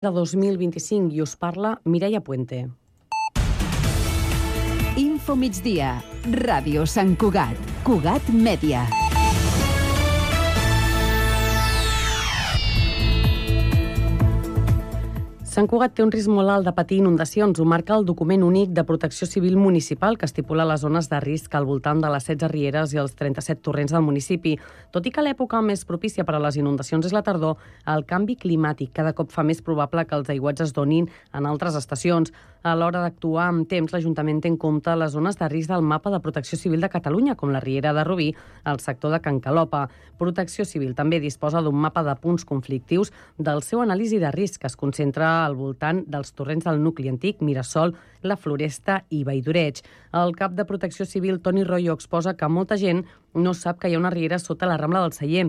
de 2025 i us parla Mireia Puente. Info Migdia, Ràdio Sant Cugat, Cugat Mèdia. Sant Cugat té un risc molt alt de patir inundacions. Ho marca el document únic de protecció civil municipal que estipula les zones de risc al voltant de les 16 rieres i els 37 torrents del municipi. Tot i que l'època més propícia per a les inundacions és la tardor, el canvi climàtic cada cop fa més probable que els aiguats es donin en altres estacions. A l'hora d'actuar amb temps, l'Ajuntament té en compte les zones de risc del mapa de protecció civil de Catalunya, com la Riera de Rubí, el sector de Can Calopa. Protecció Civil també disposa d'un mapa de punts conflictius del seu anàlisi de risc, que es concentra al voltant dels torrents del nucli antic, Mirasol, la Floresta i Valldoreig. El cap de Protecció Civil, Toni Royo, exposa que molta gent no sap que hi ha una riera sota la Rambla del Celler.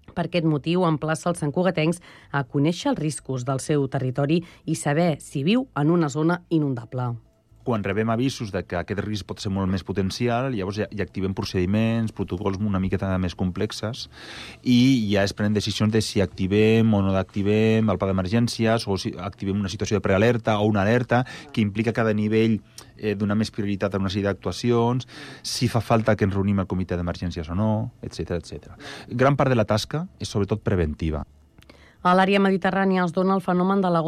Per aquest motiu, emplaça els santcugatencs a conèixer els riscos del seu territori i saber si viu en una zona inundable. Quan rebem avisos de que aquest risc pot ser molt més potencial, llavors ja activem procediments, protocols una miqueta més complexes i ja es prenen decisions de si activem o no activem el pla d'emergències o si activem una situació de prealerta o una alerta que implica cada nivell donar més prioritat a una sèrie d'actuacions, si fa falta que ens reunim al comitè d'emergències o no, etc etc. Gran part de la tasca és sobretot preventiva. A l'àrea mediterrània es dona el fenomen de la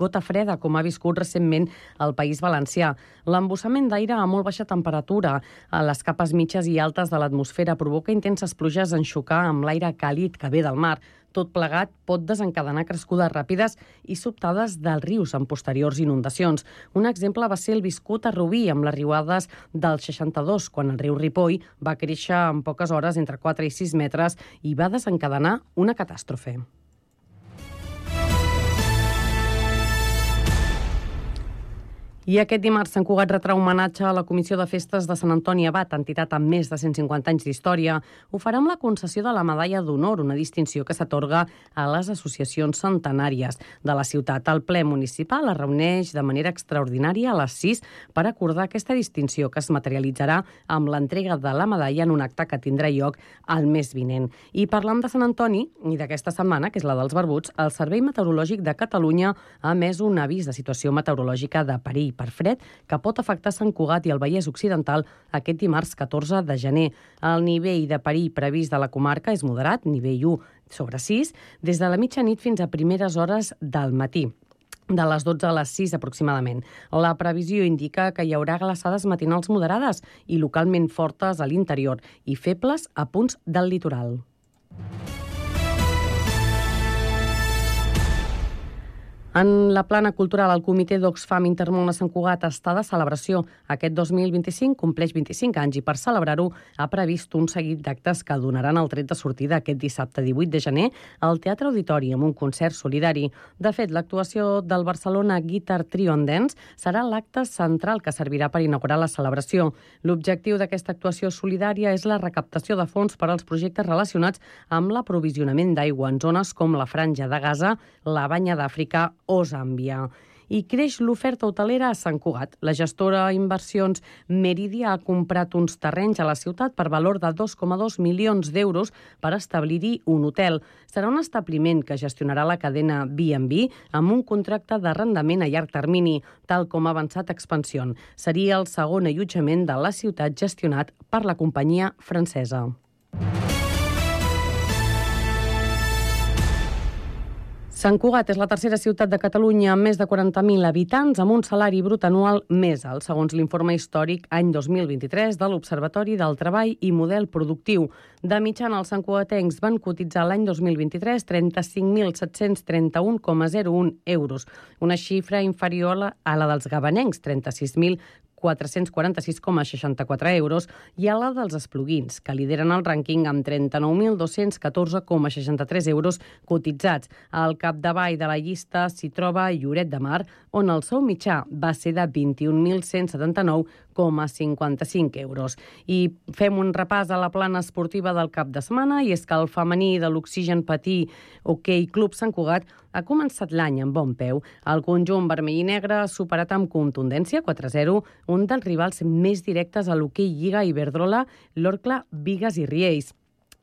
gota freda, com ha viscut recentment el País Valencià. L'embussament d'aire a molt baixa temperatura a les capes mitges i altes de l'atmosfera provoca intenses pluges en xocar amb l'aire càlid que ve del mar. Tot plegat pot desencadenar crescudes ràpides i sobtades dels rius en posteriors inundacions. Un exemple va ser el viscut a Rubí, amb les riuades del 62, quan el riu Ripoll va créixer en poques hores entre 4 i 6 metres i va desencadenar una catàstrofe. I aquest dimarts Sant Cugat retrà homenatge a la Comissió de Festes de Sant Antoni Abat, entitat amb més de 150 anys d'història. Ho farà amb la concessió de la Medalla d'Honor, una distinció que s'atorga a les associacions centenàries de la ciutat. El ple municipal es reuneix de manera extraordinària a les 6 per acordar aquesta distinció, que es materialitzarà amb l'entrega de la medalla en un acte que tindrà lloc el mes vinent. I parlant de Sant Antoni i d'aquesta setmana, que és la dels barbuts, el Servei Meteorològic de Catalunya ha emès un avís de situació meteorològica de perill per fred que pot afectar Sant Cugat i el Vallès Occidental aquest dimarts 14 de gener. El nivell de perill previst de la comarca és moderat, nivell 1/6, des de la mitjanit fins a primeres hores del matí, de les 12 a les 6 aproximadament. La previsió indica que hi haurà glaçades matinals moderades i localment fortes a l'interior i febles a punts del litoral. En la plana cultural, el Comitè d'Oxfam Intermón a Sant Cugat està de celebració. Aquest 2025 compleix 25 anys i per celebrar-ho ha previst un seguit d'actes que donaran el tret de sortida aquest dissabte 18 de gener al Teatre Auditori amb un concert solidari. De fet, l'actuació del Barcelona Guitar Trio and Dance serà l'acte central que servirà per inaugurar la celebració. L'objectiu d'aquesta actuació solidària és la recaptació de fons per als projectes relacionats amb l'aprovisionament d'aigua en zones com la Franja de Gaza, la Banya d'Àfrica o Zàmbia. I creix l'oferta hotelera a Sant Cugat. La gestora Inversions Meridia ha comprat uns terrenys a la ciutat per valor de 2,2 milions d'euros per establir-hi un hotel. Serà un establiment que gestionarà la cadena B&B amb un contracte d'arrendament a llarg termini, tal com ha avançat Expansión. Seria el segon allotjament de la ciutat gestionat per la companyia francesa. Sant Cugat és la tercera ciutat de Catalunya amb més de 40.000 habitants amb un salari brut anual més alt, segons l'informe històric any 2023 de l'Observatori del Treball i Model Productiu. De mitjana, els santcugatencs van cotitzar l'any 2023 35.731,01 euros, una xifra inferior a la dels gabanencs, 36.446,64 euros, i a la dels espluguins, que lideren el rànquing amb 39.214,63 euros cotitzats. Al capdavall de la llista s'hi troba Lloret de Mar, on el sou mitjà va ser de 21.179,55 euros. I fem un repàs a la plana esportiva del cap de setmana, i és que el femení de l'Oxigen Patí Hoquei Club Sant Cugat ha començat l'any amb bon peu. El conjunt vermell i negre ha superat amb contundència 4-0 un dels rivals més directes a l'hoquei Lliga Iberdrola, l'Orcla Bigues i Riells.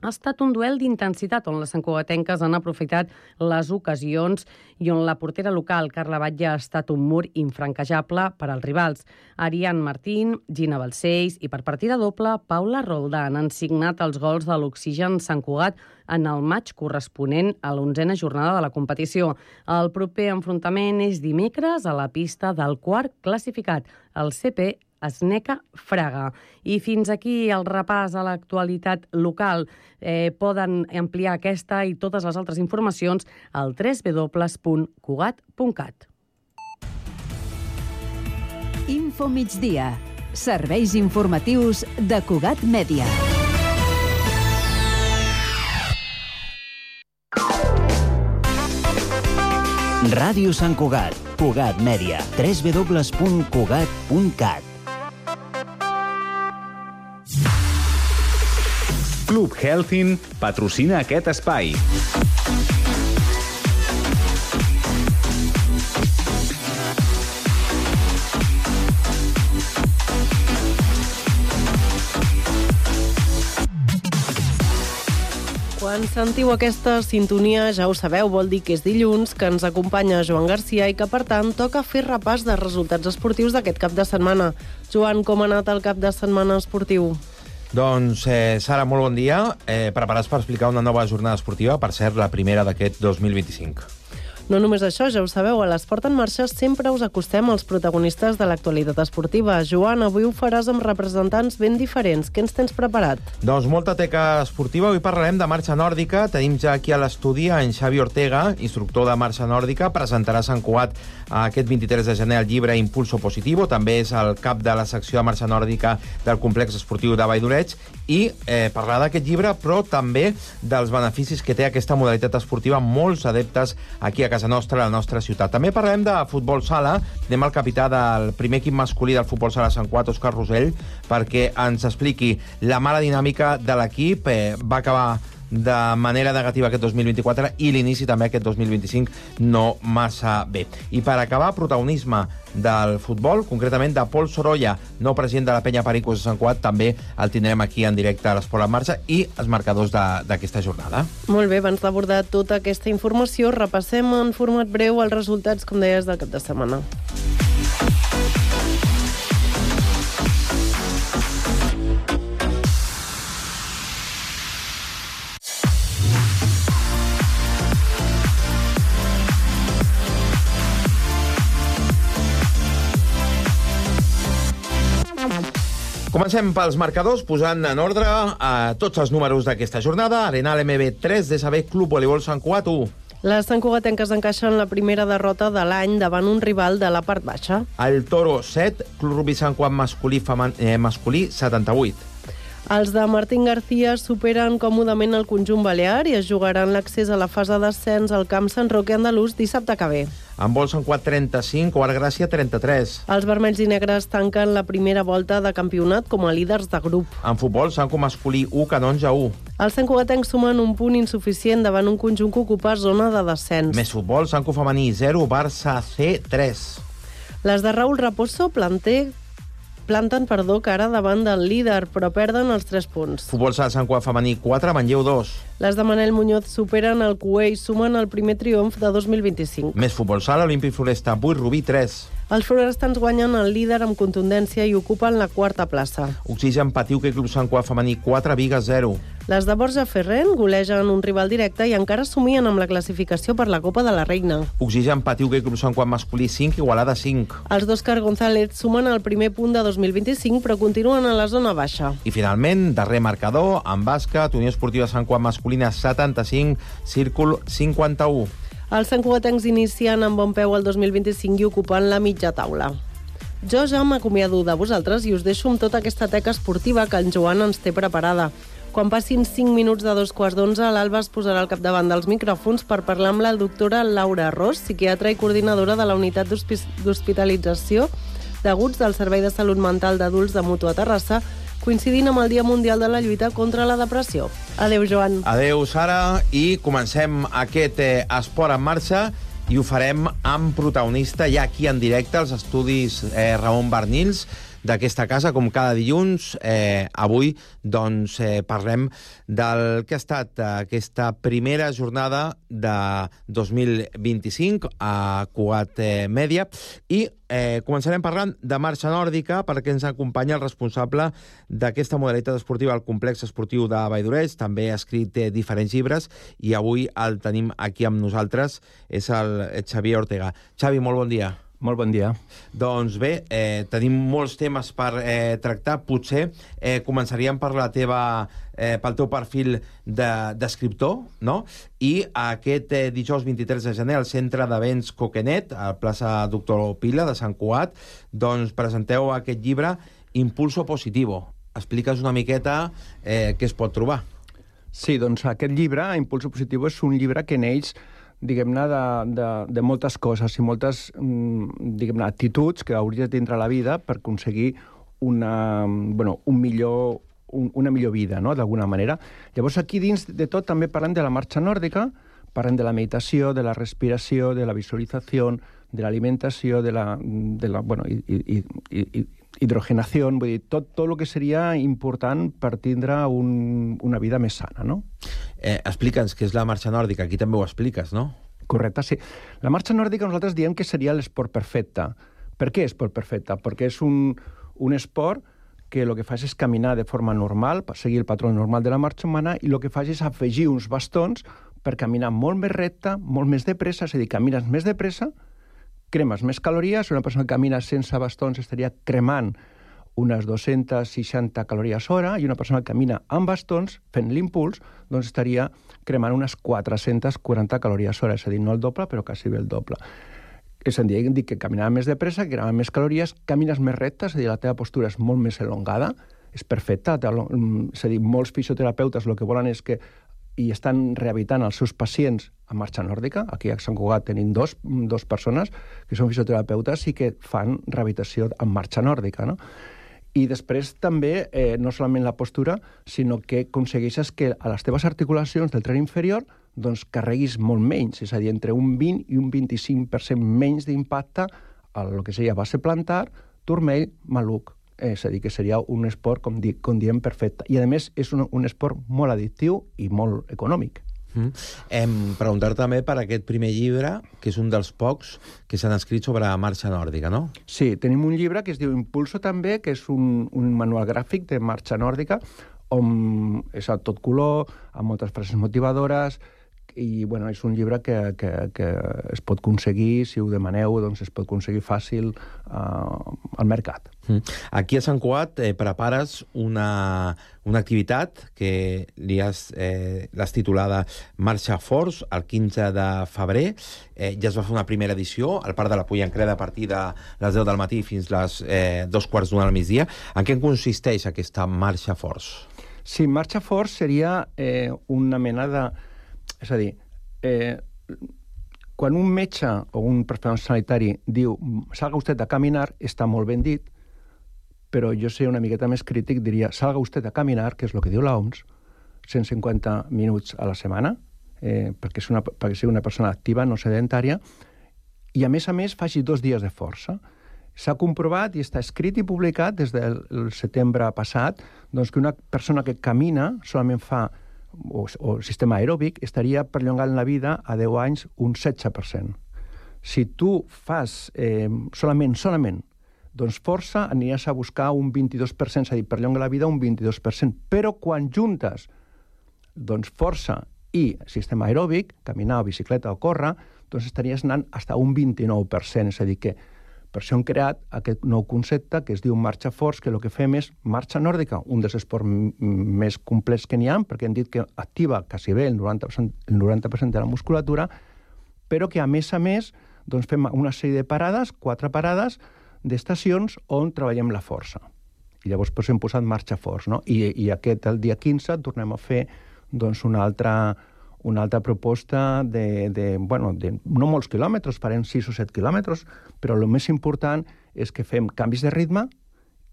Ha estat un duel d'intensitat on les santcugatenques han aprofitat les ocasions i on la portera local, Carla Batlle, ha estat un mur infranquejable per als rivals. Ariane Martín, Gina Balcells i per partida doble, Paula Roldán han signat els gols de l'Oxigen Sant Cugat en el maig corresponent a l'11a jornada de la competició. El proper enfrontament és dimecres a la pista del quart classificat, el CP Esneca Fraga. I fins aquí el repàs a l'actualitat local. Poden ampliar aquesta i totes les altres informacions al www.cugat.cat. Info Migdia. Serveis informatius de Cugat Mèdia. Ràdio Sant Cugat, Cugat Mèdia, www.cugat.cat. Club Healthin patrocina aquest espai. Quan sentiu aquesta sintonia, ja ho sabeu, vol dir que és dilluns, que ens acompanya Joan Garcia i que, per tant, toca fer repàs de resultats esportius d'aquest cap de setmana. Joan, com ha anat el cap de setmana esportiu? Doncs, Sara, molt bon dia. Preparats per explicar una nova jornada esportiva, per cert, la primera d'aquest 2025. No només això, ja ho sabeu, a l'Esport en Marxa sempre us acostem als protagonistes de l'actualitat esportiva. Joan, avui ho faràs amb representants ben diferents. Què ens tens preparat? Doncs molta teca esportiva. Avui parlarem de marxa nòrdica. Tenim ja aquí a l'estudi en Xavi Ortega, instructor de marxa nòrdica. Presentarà a Sant Cugat aquest 23 de gener el llibre Impulso Positivo. També és el cap de la secció de marxa nòrdica del complex esportiu de Valldoreig. I parlarà d'aquest llibre, però també dels beneficis que té aquesta modalitat esportiva amb molts adeptes aquí a casa nostra, a la nostra ciutat. També parlarem de futbol sala. Anem al capità del primer equip masculí del futbol sala Sant Cugat, Òscar Rosell, perquè ens expliqui la mala dinàmica de l'equip. Va acabar de manera negativa aquest 2024 i l'inici també aquest 2025 no massa bé. I per acabar, protagonisme del futbol, concretament de Pol Sorolla, nou president de la Penya Pericos de Sant Cugat. També el tindrem aquí en directe a l'Esport en Marxa i els marcadors d'aquesta jornada. Molt bé, abans d'abordar tota aquesta informació, repassem en format breu els resultats, com deies, del cap de setmana. Comencem pels marcadors, posant en ordre tots els números d'aquesta jornada. Arenal MB 3, DSB Club Voleibol Sant Cugat 1. Les santcugatenques encaixen la primera derrota de l'any davant un rival de la part baixa. El Toro 7, Club Rugbi Sant Cugat masculí 78. Els de Martín García superen còmodament el conjunt balear i es jugaran l'accés a la fase d'ascens al camp Sant Roque Andalús dissabte que ve. Handbol Sant Cugat 35, Quart Gràcia 33. Els vermells i negres tanquen la primera volta de campionat com a líders de grup. En futbol, Sant Cugat masculí 1, Canonja 1. Els santcugatencs sumen un punt insuficient davant un conjunt que ocupa zona de descens. Més futbol, Sant Cugat femení 0, Barça C 3. Les de Raúl Raposo planten cara davant del líder, però perden els 3 punts. Futbol sala Sant Cugat femení 4, Manlleu 2. Les de Manel Muñoz superen el CUE i sumen el primer triomf de 2025. Més futbol sala, Olímpic Floresta 8, Rubí 3. Els florestans guanyen el líder amb contundència i ocupen la 4a plaça. Oxigen Patiu, que Club Sant Cugat femení 4, Bigues 0. Les de Borja Ferrén golegen un rival directe i encara somien amb la classificació per la Copa de la Reina. Oxigen Patiu, que Club Sant Cugat masculí 5, Igualada 5. Els d'Òscar González sumen el primer punt de 2025, però continuen a la zona baixa. I finalment, darrer marcador, en bàsquet, Unió Esportiva Sant Cugat masculina 75, Círcul 51. Els santcugatencs inicien amb bon peu el 2025 i ocupant la mitja taula. Jo ja m'acomiado de vosaltres i us deixo amb tota aquesta teca esportiva que en Joan ens té preparada. Quan passin 5 minuts de 2:15, l'Alba es posarà al capdavant dels micròfons per parlar amb la doctora Laura Ros, psiquiatra i coordinadora de la unitat d'hospitalització d'aguts del Servei de Salut Mental d'Adults de Mutu a Terrassa, coincidint amb el Dia Mundial de la Lluita contra la Depressió. Adéu, Joan. Adéu, Sara, i comencem aquest Esport en Marxa i ho farem amb protagonista ja aquí en directe als estudis Ramon Barnils d'aquesta casa, com cada dilluns. Avui doncs, parlem del que ha estat aquesta primera jornada de 2025 a Cugat Mèdia i començarem parlant de marxa nòrdica perquè ens acompanya el responsable d'aquesta modalitat esportiva al complex esportiu de Valldoreix. També ha escrit diferents llibres i avui el tenim aquí amb nosaltres. És el Xavier Ortega. Xavi, molt bon dia. Molt bon dia. Doncs bé, tenim molts temes per tractar. Potser començaríem per pel teu perfil d'escriptor, no? I aquest dijous 23 de gener al Centre d'Events Coquenet, a plaça Doctor Pila de Sant Cugat, doncs presenteu aquest llibre Impulso Positivo. Expliques una miqueta què es pot trobar. Sí, doncs aquest llibre, Impulso Positivo, és un llibre que neix diguem-ne, de moltes coses i moltes, diguem-ne, actituds que hauries de tindre a la vida per aconseguir una millor vida, no?, d'alguna manera. Llavors, aquí dins de tot també parlem de la marxa nòrdica, parlem de la meditació, de la respiració, de la visualització, de l'alimentació, de la hidrogenació, vull dir, tot el que seria important per tindre una vida més sana, no? Explica'ns què és la marxa nòrdica. Aquí també ho expliques, no? Correcte, sí. La marxa nòrdica nosaltres diem que seria l'esport perfecte. Per què esport perfecte? Perquè és un esport que el que fa és caminar de forma normal, per seguir el patró normal de la marxa humana, i el que fa és afegir uns bastons per caminar molt més recte, molt més de pressa, és a dir, camines més de pressa, cremes més calories. Una persona que camina sense bastons estaria cremant unes 260 calories hora, i una persona que camina amb bastons, fent l'impuls, doncs estaria cremant unes 440 calories hora, és a dir, no el doble, però quasi bé el doble. És a dir, que caminava més de pressa, que cremava més calories, camines més recte, és a dir, la teva postura és molt més elongada, és perfecta, és a dir, molts fisioterapeutes el que volen és que i estan rehabilitant els seus pacients a marxa nòrdica. Aquí a Sant Cugat tenim dos persones que són fisioterapeutes i que fan rehabilitació en marxa nòrdica, no? I després també, no solament la postura, sinó que aconsegueixes que a les teves articulacions del tren inferior doncs carreguis molt menys, és a dir, entre un 20 i un 25% menys d'impacte a lo que seria base plantar, turmell, maluc. És a dir, que seria un esport, com diem, perfecte. I, a més, és un esport molt addictiu i molt econòmic. Preguntar també per aquest primer llibre, que és un dels pocs que s'han escrit sobre marxa nòrdica, no? Sí, tenim un llibre que es diu Impulso també, que és un manual gràfic de marxa nòrdica, on és a tot color, amb moltes frases motivadores, i bueno, és un llibre que es pot aconseguir, si ho demaneu, doncs es pot aconseguir fàcil al mercat. Aquí a Sant Cugat prepares una activitat que l'has titulada Marxa Forts, el 15 de febrer. Ja es va fer una primera edició al Parc de la Pollancreda a partir de les 10 del matí fins les 2:45 al migdia. En què consisteix aquesta Marxa Forts? Sí, Marxa Forts seria una mena de... És a dir, quan un metge o un professional sanitari diu salga usted a caminar, està molt ben dit, però jo sé una miqueta més crític, diria salga usted a caminar, que és el que diu l'OMS, 150 minuts a la setmana, perquè sigui una persona activa, no sedentària, i a més faci 2 dies de força. S'ha comprovat i està escrit i publicat des del setembre passat doncs, que una persona que camina solament fa o sistema aeròbic, estaria perllongant la vida a 10 anys un 16%. Si tu fas solament, doncs força aniràs a buscar un 22%, és a dir, perllonga la vida un 22%. Però quan juntes doncs força i sistema aeròbic, caminar o bicicleta o córrer, doncs estaries anant fins a un 29%, és a dir que per això hem creat aquest nou concepte que es diu Marxa Forts, que el que fem és marxa nòrdica, un dels esports més complets que n'hi ha, perquè hem dit que activa quasi bé el 90% de la musculatura, però que a més doncs fem una sèrie de parades, 4 parades d'estacions on treballem la força. I llavors hem posat Marxa Forts, no? I el dia 15 tornem a fer doncs, una altra proposta de no molts quilòmetres, farem 6 o 7 quilòmetres, però el més important és que fem canvis de ritme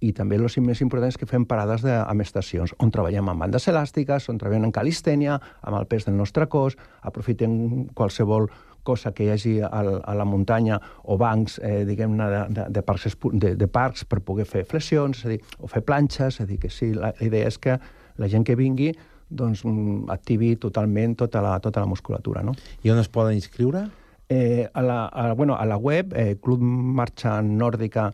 i també el més important és que fem parades amb estacions, on treballem amb bandes elàstiques, on treballem en calistènia, amb el pes del nostre cos, aprofitem qualsevol cosa que hi hagi a la muntanya o bancs, diguem-ne, de parcs per poder fer flexions, és a dir, o fer planxes, és a dir, que sí, la idea és que la gent que vingui doncs, activi totalment tota la musculatura, no? I on es poden inscriure? A la web, Club Marxa Nòrdica,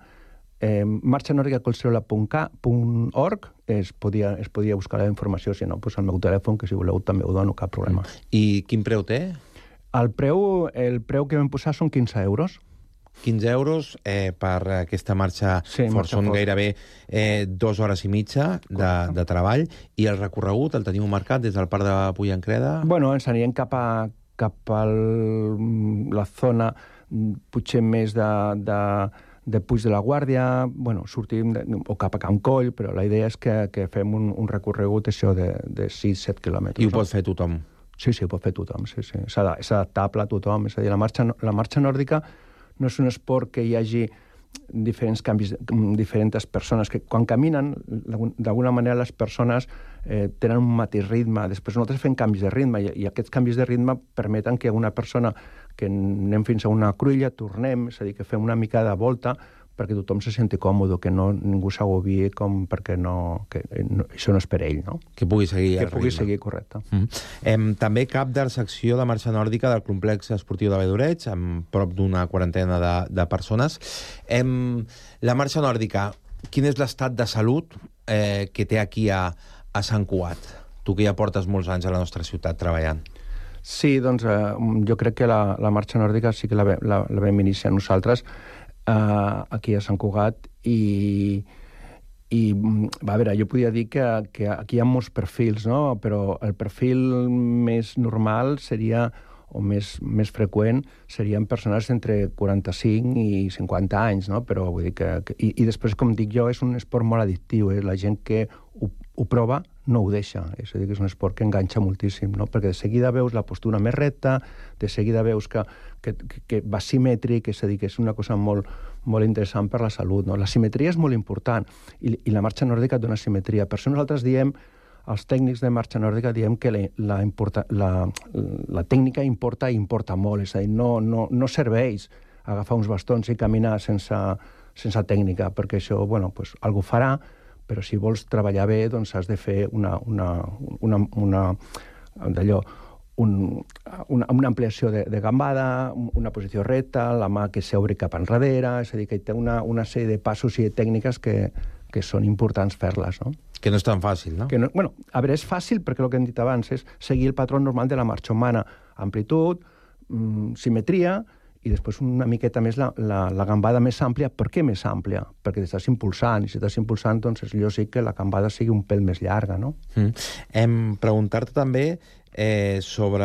marxanòrdicacolserola.org es podia buscar la informació, si no, doncs al meu telèfon, que si voleu també ho dono, cap problema. I quin preu té? El preu que vam posar són 15 euros. 15 euros per aquesta marxa fort. Són gairebé 2 hores i mitja de treball. I el recorregut el teniu marcat des del parc de Puillancreda? Bueno, ens anirem cap a la zona potser més de Puig de la Guàrdia, bueno, sortim o cap a Can Coll, però la idea és que fem un recorregut això de 6-7 quilòmetres. I ho pot fer tothom? Sí, ho pot fer tothom, sí. És adaptable a tothom. És a dir, la marxa nòrdica no és un esport que hi hagi diferents persones que quan caminen, d'alguna manera les persones tenen un mateix ritme. Després nosaltres fem canvis de ritme i aquests canvis de ritme permeten que una persona que anem fins a una cruïlla, tornem, és a dir, que fem una mica de volta perquè tothom se senti còmode, que ningú s'agobi perquè això no és per ell, no? Que pugui seguir el ritme. Que pugui seguir, correcte. També cap de la secció de marxa nòrdica del complex esportiu de Valldoreix, amb prop d'una quarantena de persones. La marxa nòrdica, quin és l'estat de salut que té aquí a Sant Cugat? Tu que ja portes molts anys a la nostra ciutat treballant. Sí, doncs jo crec que la marxa nòrdica sí que la vam iniciar nosaltres aquí a Sant Cugat i a veure, jo podia dir que aquí hi ha molts perfils, no? Però el perfil més normal seria, o més freqüent, serien persones entre 45 i 50 anys, no? Però vull dir I després, com dic jo, és un esport molt addictiu, la gent que ho prova no ho deixa, és a dir, que és un esport que enganxa moltíssim, no? Perquè de seguida veus la postura més recta, de seguida veus que va simètric, és a dir, que és una cosa molt, molt interessant per la salut, no? La simetria és molt important i la marxa nòrdica dona simetria. Per això nosaltres diem, els tècnics de marxa nòrdica diem que la tècnica importa molt, és a dir, no serveix agafar uns bastons i caminar sense tècnica, perquè això, bueno, pues, algú farà, però si vols treballar bé, doncs has de fer una ampliació de gambada, una posició recta, la mà que s'obri cap enrere, és a dir, que té una sèrie de passos i de tècniques que són importants fer-les, no? Que no és tan fàcil, no? Bueno, a veure, és fàcil perquè el que hem dit abans és seguir el patró normal de la marxa humana. Amplitud, simetria, i després una miqueta més la gambada més àmplia. Per què més àmplia? Perquè t'estàs impulsant, i si estàs impulsant, doncs és lògic que la gambada sigui un pèl més llarga, no? Preguntar-te també sobre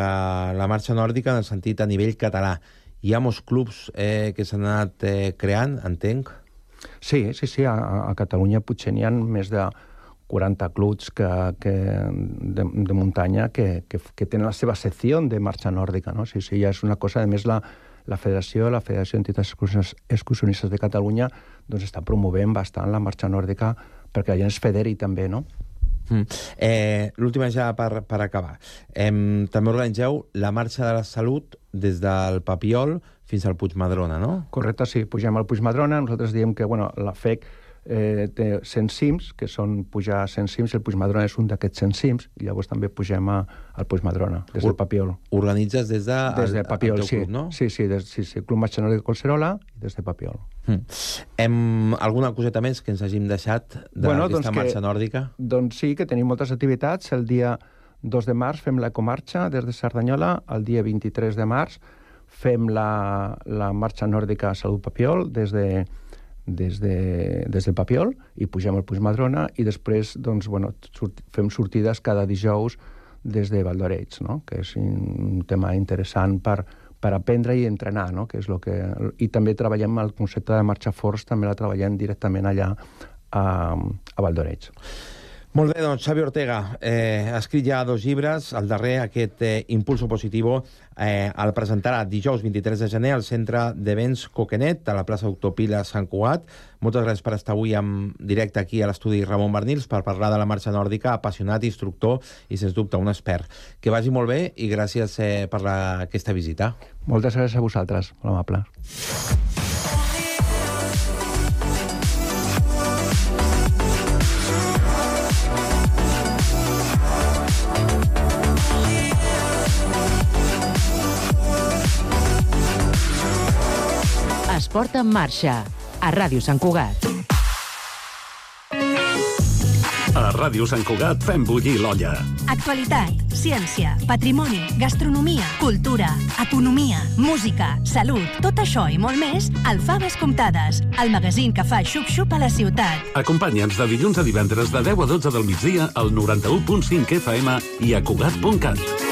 la marxa nòrdica en el sentit a nivell català. Hi ha molts clubs que s'han anat creant, entenc? Sí, a Catalunya potser n'hi ha més de 40 clubs de muntanya que tenen la seva secció de marxa nòrdica, no? Sí, ja és una cosa, a més la Federació d'Entitats Excursionistes de Catalunya doncs està promovent bastant la marxa nòrdica perquè la gent es federi també, no? L'última ja per acabar. També organitzeu la marxa de la salut des del Papiol fins al Puigmadrona, no? Correcte, sí. Pugem al Puigmadrona. Nosaltres diem que la FEC té 100 cims, que són pujar 100 cims, i el Puigmadrona és un d'aquests 100 cims, i llavors també pugem al Puigmadrona, des del Papiol. Organitzes des de Papiol, teu club, no? Sí, Club Marxa Nòrdica Collserola i des de Papiol. Alguna coseta més que ens hàgim deixat d'aquesta marxa nòrdica? Doncs sí, que tenim moltes activitats. El dia 2 de març fem l'ecomarxa des de Cerdanyola, el dia 23 de març fem la marxa nòrdica Salut Papiol des del Papiol i pugem al Puigmadrona i després fem sortides cada dijous des de Valldoreix, no? Que és un tema interessant per aprendre i entrenar, no? Que és i també treballem el concepte de marxa forts, també la treballem directament allà a Valldoreix. Molt bé, doncs Xavi Ortega ha escrit ja 2 llibres, el darrer, aquest Impulso Positivo, el presentarà dijous 23 de gener al Centre d'Events Coquenet, a la plaça Doctor Pila Sant Cugat. Moltes gràcies per estar avui en directe aquí a l'estudi Ramon Barnils per parlar de la marxa nòrdica, apassionat, instructor i, sens dubte, un expert. Que vagi molt bé i gràcies per aquesta visita. Moltes gràcies a vosaltres, molt amable. Esport en marxa, a Ràdio Sant Cugat. A Ràdio Sant Cugat fem bullir l'olla. Actualitat, ciència, patrimoni, gastronomia, cultura, economia, música, salut, tot això i molt més al Faves Comptades, el magazín que fa xup-xup a la ciutat. Acompanya'ns de dilluns a divendres de 10 a 12 del migdia al 91.5 FM i a Cugat.cat.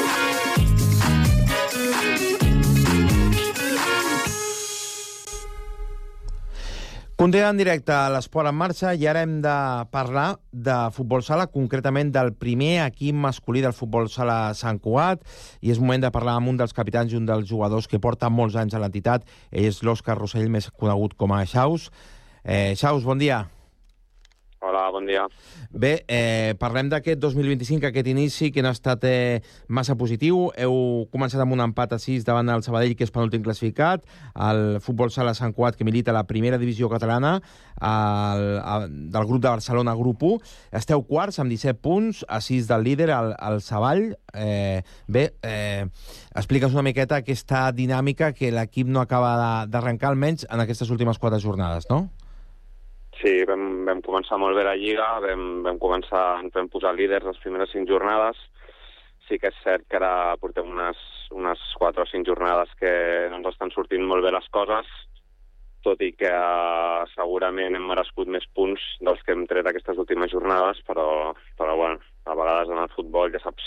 Continuem en directe a l'Esport en marxa i ara hem de parlar de futbol sala, concretament del primer equip masculí del futbol sala Sant Cugat, i és moment de parlar amb un dels capitans i un dels jugadors que porta molts anys a l'entitat. Ell és l'Òscar Rossell, més conegut com a Xaus. Xaus, bon dia. Hola, bon dia. Bé, parlem d'aquest 2025, aquest inici, que no ha estat massa positiu. Heu començat amb un empat a 6 davant el Sabadell, que és penúltim classificat, el futbol sala Sant Cugat, que milita a la primera divisió catalana, del grup de Barcelona, grup 1. Esteu quarts, amb 17 punts, a 6 del líder, el Savall. Explica'ns una miqueta aquesta dinàmica que l'equip no acaba d'arrencar, almenys en aquestes últimes 4 jornades, no? Sí, vam començar molt bé la Lliga, vam posar líders les primeres 5 jornades. Sí que és cert que ara portem unes 4 o 5 jornades que no ens estan sortint molt bé les coses, tot i que segurament hem merescut més punts dels que hem tret aquestes últimes jornades, però bueno, a vegades en el futbol ja saps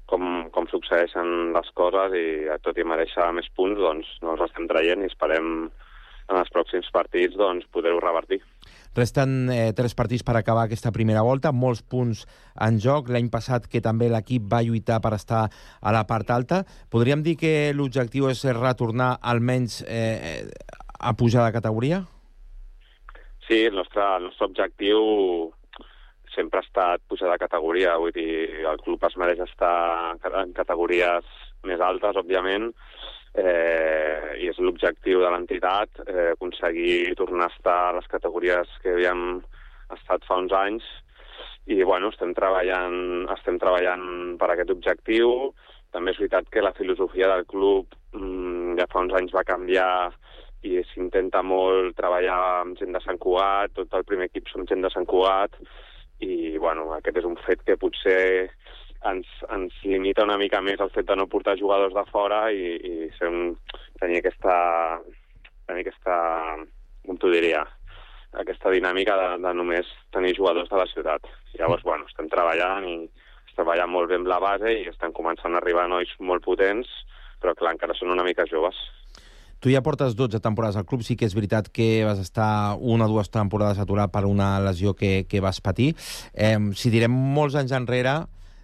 com succeeixen les coses i tot i mereixer més punts, doncs no els estem traient i esperem en els pròxims partits doncs, poder-ho revertir. Resten 3 partits per acabar aquesta primera volta, molts punts en joc. L'any passat que també l'equip va lluitar per estar a la part alta. Podríem dir que l'objectiu és retornar almenys a pujar de categoria? Sí, el nostre objectiu sempre ha estat pujar de categoria. Vull dir, el club es mereix estar en categories més altes, òbviament, i és l'objectiu de l'entitat, aconseguir tornar a estar a les categories que havíem estat fa uns anys, i bueno, estem treballant per aquest objectiu. També és veritat que la filosofia del club ja fa uns anys va canviar i s'intenta molt treballar amb gent de Sant Cugat, tot el primer equip som gent de Sant Cugat, i bueno, aquest és un fet que potser ens limita una mica més el fet de no portar jugadors de fora i tenir aquesta, com t'ho diria, aquesta dinàmica de només tenir jugadors de la ciutat. Llavors, bueno, estem treballant molt bé amb la base i estem començant a arribar nois molt potents, però clar, encara són una mica joves. Tu ja portes 12 temporades al club, sí que és veritat que vas estar 1 o 2 temporades aturat per una lesió que vas patir. Si direm molts anys enrere,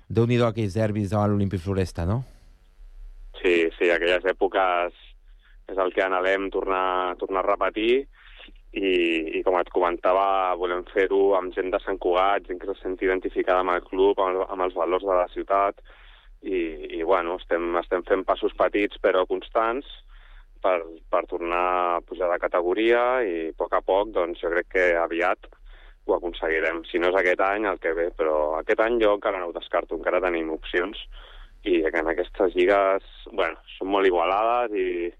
Déu-n'hi-do aquells derbis davant l'Olímpic Floresta, no? Sí, aquelles èpoques és el que anhelem tornar a repetir i com et comentava, volem fer-ho amb gent de Sant Cugat, gent que se senti identificada amb el club, amb els valors de la ciutat i bueno, estem fent passos petits però constants per tornar a pujar de categoria i a poc, doncs jo crec que aviat ho aconseguirem. Si no és aquest any, el que ve, però aquest any jo encara no ho descarto, encara tenim opcions i en aquestes lligues, bueno, són molt igualades i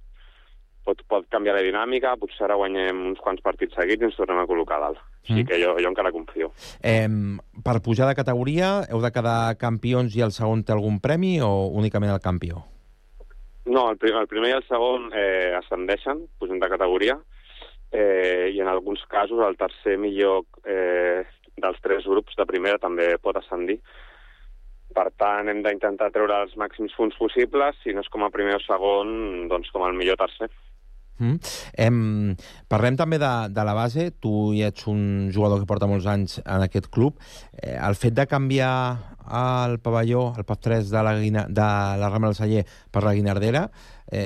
pot canviar la dinàmica, potser ara guanyem uns quants partits seguits i ens tornem a col·locar dalt. Així que jo encara confio. Per pujar de categoria heu de quedar campions i el segon té algun premi o únicament el campió? No, el primer i el segon ascendeixen, pugen de categoria, i en alguns casos el tercer millor dels 3 grups de primera també pot ascendir. Per tant, hem d'intentar treure els màxims punts possibles, si no és com a primer o segon, doncs com el millor tercer. Parlem també de la base. Tu ja ets un jugador que porta molts anys en aquest club. El fet de canviar el pavelló, el PAF3 de la Rambla del Celler per la Guinardera,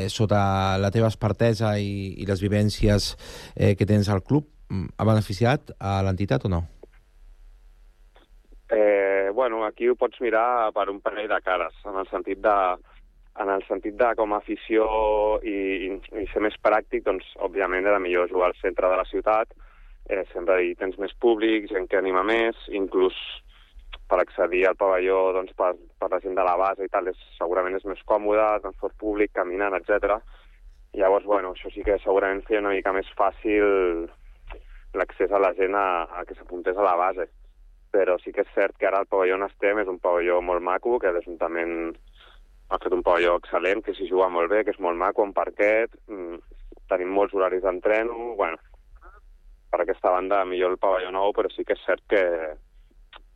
sota la teva expertesa i les vivències que tens al club, ha beneficiat a l'entitat o no? Bueno, aquí ho pots mirar per un parell de cares, en el sentit de com a afició i ser més pràctic, doncs, òbviament, era millor jugar al centre de la ciutat, sempre hi tens més públic, gent que anima més, inclús per accedir al pavelló doncs, per la gent de la base i tal, segurament és més còmode, transport públic, caminant, etc. Llavors, bueno, això sí que segurament feia una mica més fàcil l'accés a la gent a que s'apuntés a la base. Però sí que és cert que ara el pavelló on estem és un pavelló molt maco, que l'Ajuntament ha fet un pavelló excel·lent, que s'hi juga molt bé, que és molt maco, un parquet, tenim molts horaris d'entreno, bueno, per aquesta banda millor el pavelló nou, però sí que és cert que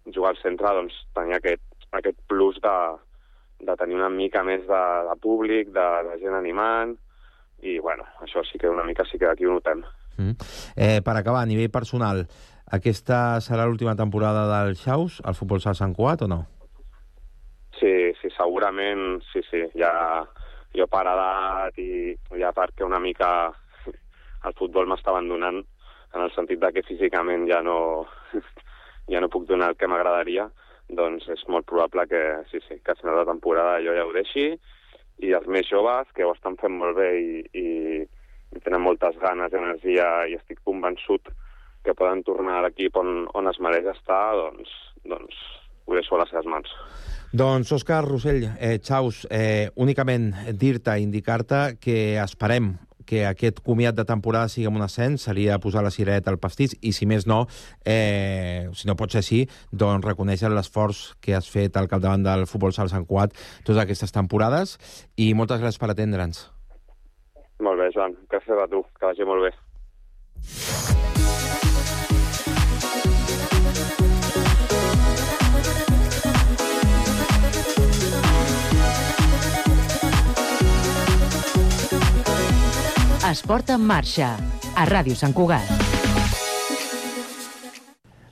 jugar al centre doncs, tenia aquest plus de tenir una mica més de públic, de gent animant, i bueno, això sí que una mica sí que aquí ho notem. Per acabar, a nivell personal, aquesta serà l'última temporada del Xaus, al Futbol Sala Sant Cugat, o no? Sí, segurament, sí. Ja, jo per edat i ja perquè una mica el futbol m'està abandonant, en el sentit de que físicament ja no puc donar el que m'agradaria, doncs és molt probable que que al final de temporada jo ja ho deixi, i els més joves, que ho estan fent molt bé i tenen moltes ganes i energia, i estic convençut que poden tornar a l'equip on es mereix estar, doncs ho deixo a les seves mans. Doncs, Òscar Rossell, Xaus, únicament dir-te, indicar-te que esperem que aquest comiat de temporada sigui amb un ascens, seria posar la cirereta al pastís, i si més no, si no pot ser així, doncs reconèixer l'esforç que has fet al capdavant del Futbol Sala Sant Cugat totes aquestes temporades, i moltes gràcies per atendre'ns. Molt bé, Joan. Gràcies a tu. Que vagi molt bé. Esport en marxa, a Ràdio Sant Cugat.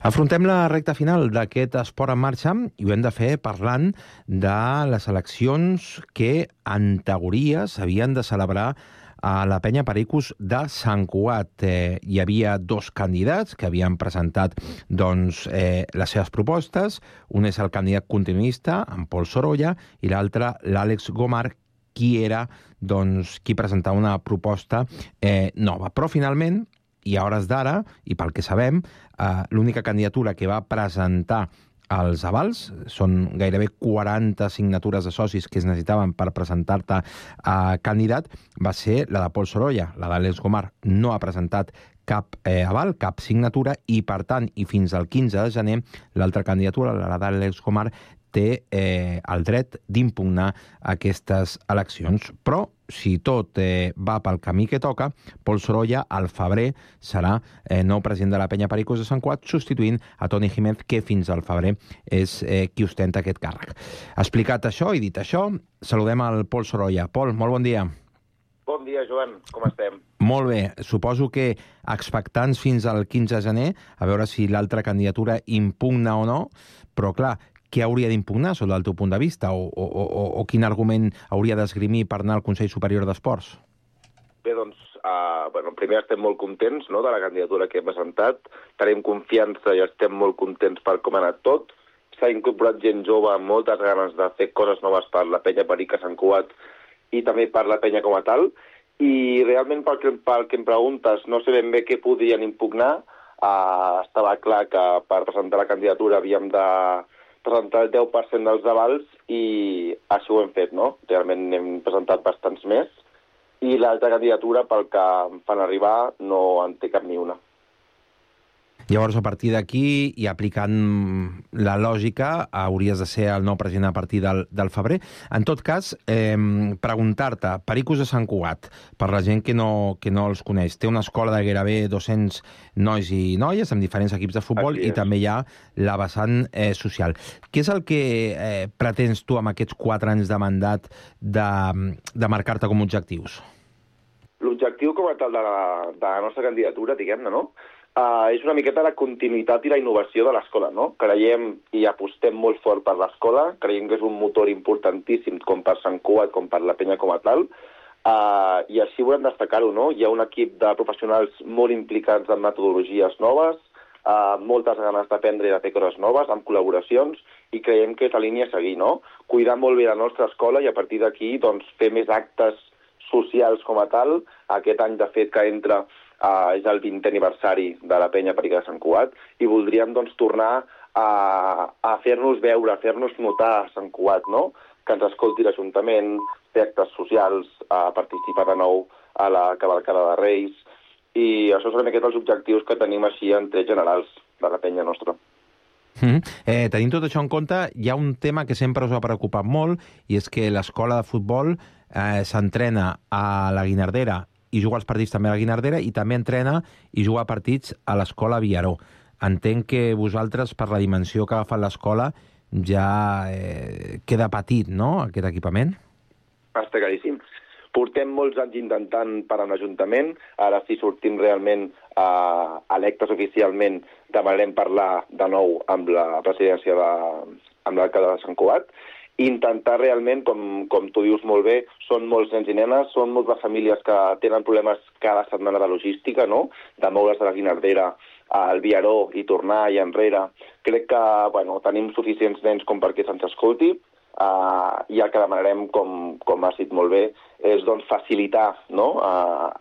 Afrontem la recta final d'aquest Esport en marxa i ho hem de fer parlant de les eleccions que, en teoria, s'havien de celebrar a la Penya Pericos de Sant Cugat. Hi havia dos candidats que havien presentat les seves propostes. Un és el candidat continuista, en Pol Sorolla, i l'altre, l'Àlex Gomar, qui presentava una proposta nova. Però, finalment, i a hores d'ara, i pel que sabem, l'única candidatura que va presentar els avals, són gairebé 40 signatures de socis que es necessitaven per presentar-te candidat, va ser la de Pol Sorolla. La d'Àlex Gomar no ha presentat cap aval, cap signatura, i, per tant, i fins al 15 de gener, l'altra candidatura, la d'Àlex Gomar, té el dret d'impugnar aquestes eleccions. Però, si tot va pel camí que toca, Pol Sorolla, al febrer, serà nou president de la Penya Pericos de Sant Cugat, substituint a Toni Jiménez, que fins al febrer és qui ostenta aquest càrrec. Explicat això i dit això, saludem al Pol Sorolla. Pol, molt bon dia. Bon dia, Joan. Com estem? Molt bé. Suposo que expectants fins al 15 de gener, a veure si l'altra candidatura impugna o no, però, clar, què hauria d'impugnar, sota el teu punt de vista, o quin argument hauria d'esgrimir per anar al Consell Superior d'Esports? Bé, doncs, primer estem molt contents de la candidatura que hem presentat, tenim confiança i estem molt contents per com ha anat tot. S'ha incorporat gent jove amb moltes ganes de fer coses noves per la Penya Perica Sant Cugat i també per la Penya com a tal, i realment pel que em preguntes, no sé ben bé què podrien impugnar. Estava clar que per presentar la candidatura havíem de presentar el 10% dels avals, i així ho hem fet, no? Realment hem presentat bastants més, i l'altra candidatura, pel que em fan arribar, no en té cap ni una. Llavors, a partir d'aquí, i aplicant la lògica, hauries de ser el nou president a partir del febrer. En tot cas, preguntar-te, Pericos de Sant Cugat, per la gent que no els coneix, té una escola de gairebé 200 nois i noies amb diferents equips de futbol, i també hi ha la vessant social. Què és el que pretens tu amb aquests 4 anys de mandat de marcar-te com a objectius? l'objectiu com a tal de la nostra candidatura, diguem-ne, no? És una miqueta la continuïtat i la innovació de l'escola, no? Creiem i apostem molt fort per l'escola, creiem que és un motor importantíssim com per Sant Cugat, com per la penya com a tal, i així volem destacar-ho, no? Hi ha un equip de professionals molt implicats en metodologies noves, moltes ganes d'aprendre i de fer coses noves, amb col·laboracions, i creiem que és la línia a seguir, no? Cuidar molt bé la nostra escola i a partir d'aquí doncs, fer més actes socials com a tal. Aquest any, de fet, que entra és el 20è aniversari de la penya Perica de Sant Cugat i voldríem doncs, tornar a fer-nos veure, a fer-nos notar a Sant Cugat, no? Que ens escolti l'Ajuntament, fer actes socials, participar de nou a la cavalcada de Reis, i això són aquests els objectius que tenim així en trets generals de la penya nostra. Tenint tot això en compte, hi ha un tema que sempre us ha preocupat molt, i és que l'escola de futbol s'entrena a la Guinardera i juga els partits també a la Guinardera i també entrena i juga partits a l'escola Villaró. Entenc que vosaltres, per la dimensió que ha agafat l'escola, ja queda petit, no?, aquest equipament? Està claríssim. Portem molts anys intentant parar un ajuntament, ara si sortim realment electes oficialment demanarem parlar de nou amb la presidència amb l'alcalde de Sant Cugat, i intentar realment, com tu dius molt bé, són molts nens i nenes, són moltes famílies que tenen problemes cada setmana de logística, no?, de moure's de la Guinardera al Villaró i tornar i enrere. Crec que tenim suficients nens com perquè se'ns escolti, i el que demanarem, com has dit molt bé, és doncs, facilitar, no?,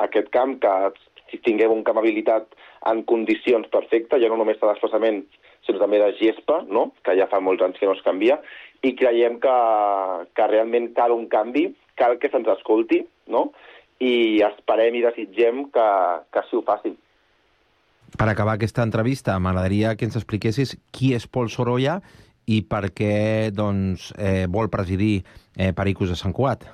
aquest camp, que tinguem un camp habilitat en condicions perfectes, ja no només de desplaçament, sinó també de gespa, no?, que ja fa molts anys que no es canvia, i creiem que realment cal un canvi, cal que se'ns escolti, no?, i esperem i desitgem que així ho facin. Per acabar aquesta entrevista, m'agradaria que ens expliquessis qui és Pol Sorolla i per què doncs, vol presidir Pericos de Sant Cugat.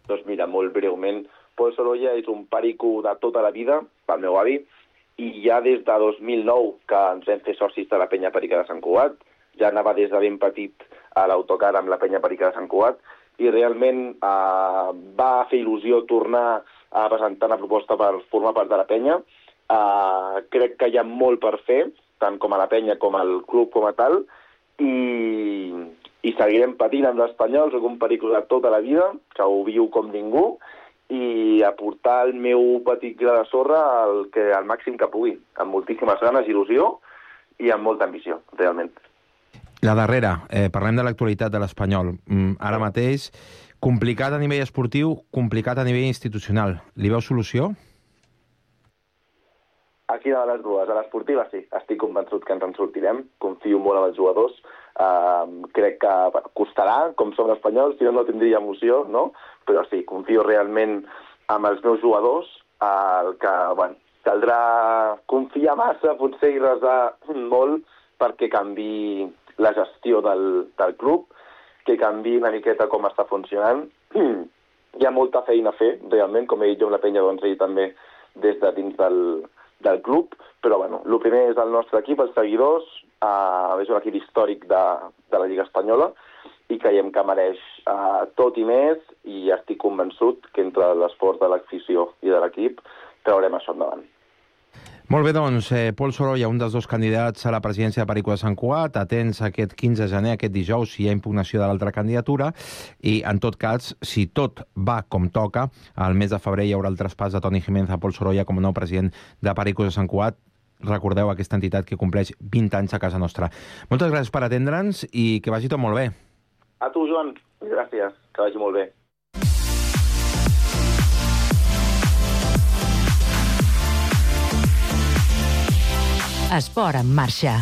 Doncs mira, molt breument, Pol Sorolla és un perico de tota la vida, pel meu avi, i ja des de 2009 que ens vam fer socis de la penya Perica de Sant Cugat, ja anava des de ben petit a l'autocar amb la penya Perica de Sant Cugat, i realment va fer il·lusió tornar a presentar una proposta per formar part de la penya. Crec que hi ha molt per fer, tant com a la penya com al club com a tal, i seguirem patint amb l'Espanyol, soc un perico de tota la vida, que ho viu com ningú, i aportar el meu petit gra de sorra al màxim que pugui, amb moltíssimes ganes, il·lusió i amb molta ambició, realment. La darrera, parlem de l'actualitat de l'Espanyol. Ara mateix, complicat a nivell esportiu, complicat a nivell institucional. Li veu solució? Aquí de les dues. A l'esportiva sí, estic convençut que ens en sortirem, confio molt en els jugadors, crec que costarà, com som espanyols, si no tindria emoció, no? Però sí, confio realment en els meus jugadors, que caldrà confiar massa, potser i resar molt perquè canvi la gestió del club, que canvi una miqueta com està funcionant. Hi ha molta feina a fer, realment, com he dit jo amb la penya, doncs ell també des de dins del club, però el primer és el nostre equip, els seguidors, és un equip històric de la Lliga Espanyola i creiem que mereix tot i més, i estic convençut que entre l'esforç de l'afició i de l'equip traurem això endavant. Molt bé, doncs, Pol Sorolla, un dels dos candidats a la presidència de Perico de Sant Cugat, atents aquest 15 de gener, aquest dijous, si hi ha impugnació de l'altra candidatura, i en tot cas, si tot va com toca, al mes de febrer hi haurà el traspàs de Toni Jiménez a Pol Sorolla com a nou president de Perico de Sant Cugat. Recordeu aquesta entitat que compleix 20 anys a casa nostra. Moltes gràcies per atendre'ns i que vagi tot molt bé. A tu, Joan. Gràcies. Que vagi molt bé. Esport en marxa.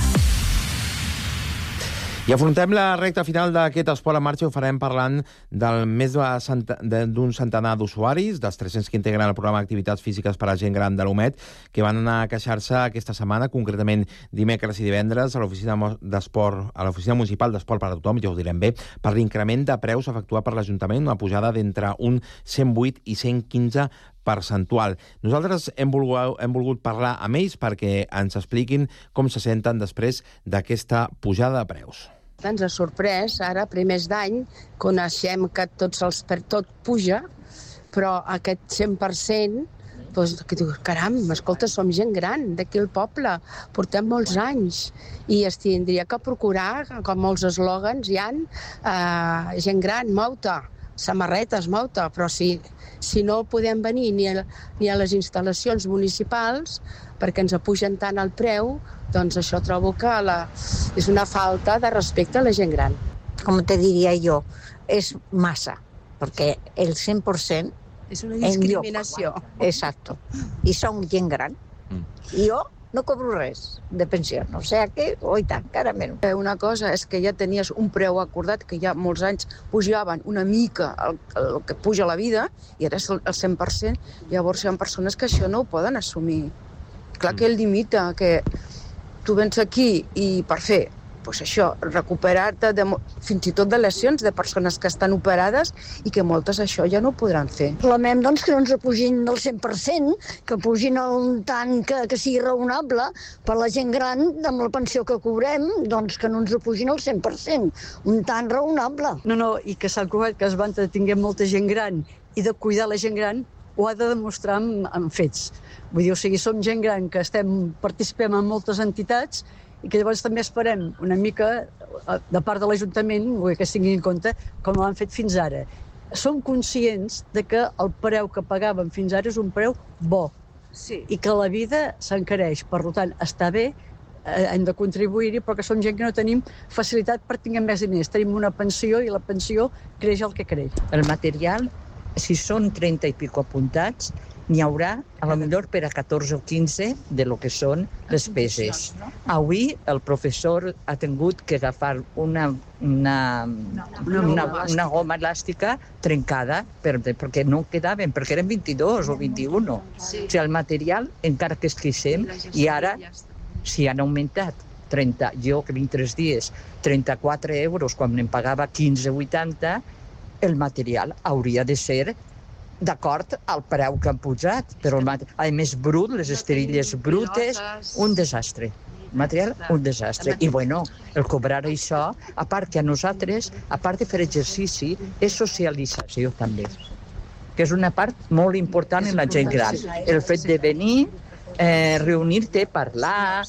I afrontem la recta final d'aquest Esport en marxa i ho farem parlant del més d'un centenar d'usuaris, dels 300 que integren el programa d'activitats físiques per a gent gran de l'UMED, que van anar a queixar-se aquesta setmana, concretament dimecres i divendres, a l'oficina municipal d'esport per a tothom, ja ho direm bé, per l'increment de preus efectuat per l'Ajuntament, una pujada d'entre un 108 i 115 percentual. Nosaltres hem volgut parlar amb ells perquè ens expliquin com se senten després d'aquesta pujada de preus. Ens ha sorprès, ara, primers d'any, coneixem que tot puja, Però aquest 100%, doncs, que dius, caram, escolta, som gent gran d'aquí al poble, portem molts anys i es tindria que procurar, com molts eslògans hi ha, gent gran, mou-te, samarretes, mou-te, però si no podem venir ni a les instal·lacions municipals perquè ens apugen tant el preu, doncs això trobo que és una falta de respecte a la gent gran. Com te diria jo, és massa, perquè el 100% és una discriminació. Exacto. I som gent gran. I jo no cobro res de pensió. O sigui que, oi tant, encara menys. Una cosa és que ja tenies un preu acordat, que ja molts anys pujaven una mica el que puja la vida, i ara és el 100%. Llavors hi ha persones que això no ho poden assumir. Clar que el limita, que tu vens aquí i per fer pues això, recuperar-te fins i tot de lesions de persones que estan operades i que moltes això ja no ho podran fer. Reclamem doncs, que no ens pugin del 100%, que pugin un tant que sigui raonable per la gent gran, amb la pensió que cobrem, doncs que no ens pugin el 100%, un tant raonable. No, i que Sant Cugat, que es va entretenir molta gent gran i de cuidar la gent gran, ho ha de demostrar amb fets. Vull dir, o sigui, som gent gran que participem en moltes entitats i que llavors també esperem una mica de part de l'Ajuntament que es tinguin en compte com ho han fet fins ara. Som conscients de que el preu que pagàvem fins ara és un preu bo i que la vida s'encareix. Per tant, està bé, hem de contribuir-hi, però que som gent que no tenim facilitat per tenir més diners. Tenim una pensió i la pensió creix el que creix. El material, si són 30 i pico apuntats, n'hi haurà, a lo millor per a 14 o 15 de lo que són les peces. Avui el professor ha tingut que agafar una goma elàstica trencada perquè no quedaven, perquè eren 22 o 21. O sigui, el material, encara que es queixem, i ara, si han augmentat 30, jo que vinc 3 dies, 34 euros quan em pagava 15,80, el material hauria de ser d'acord al preu que han pujat, però a més brut, les esterilles brutes, un desastre. El material, un desastre. I bueno, el cobrar això, a part que a nosaltres, a part de fer exercici, és socialització també, que és una part molt important en la gent gran. El fet de venir, reunir-te, parlar,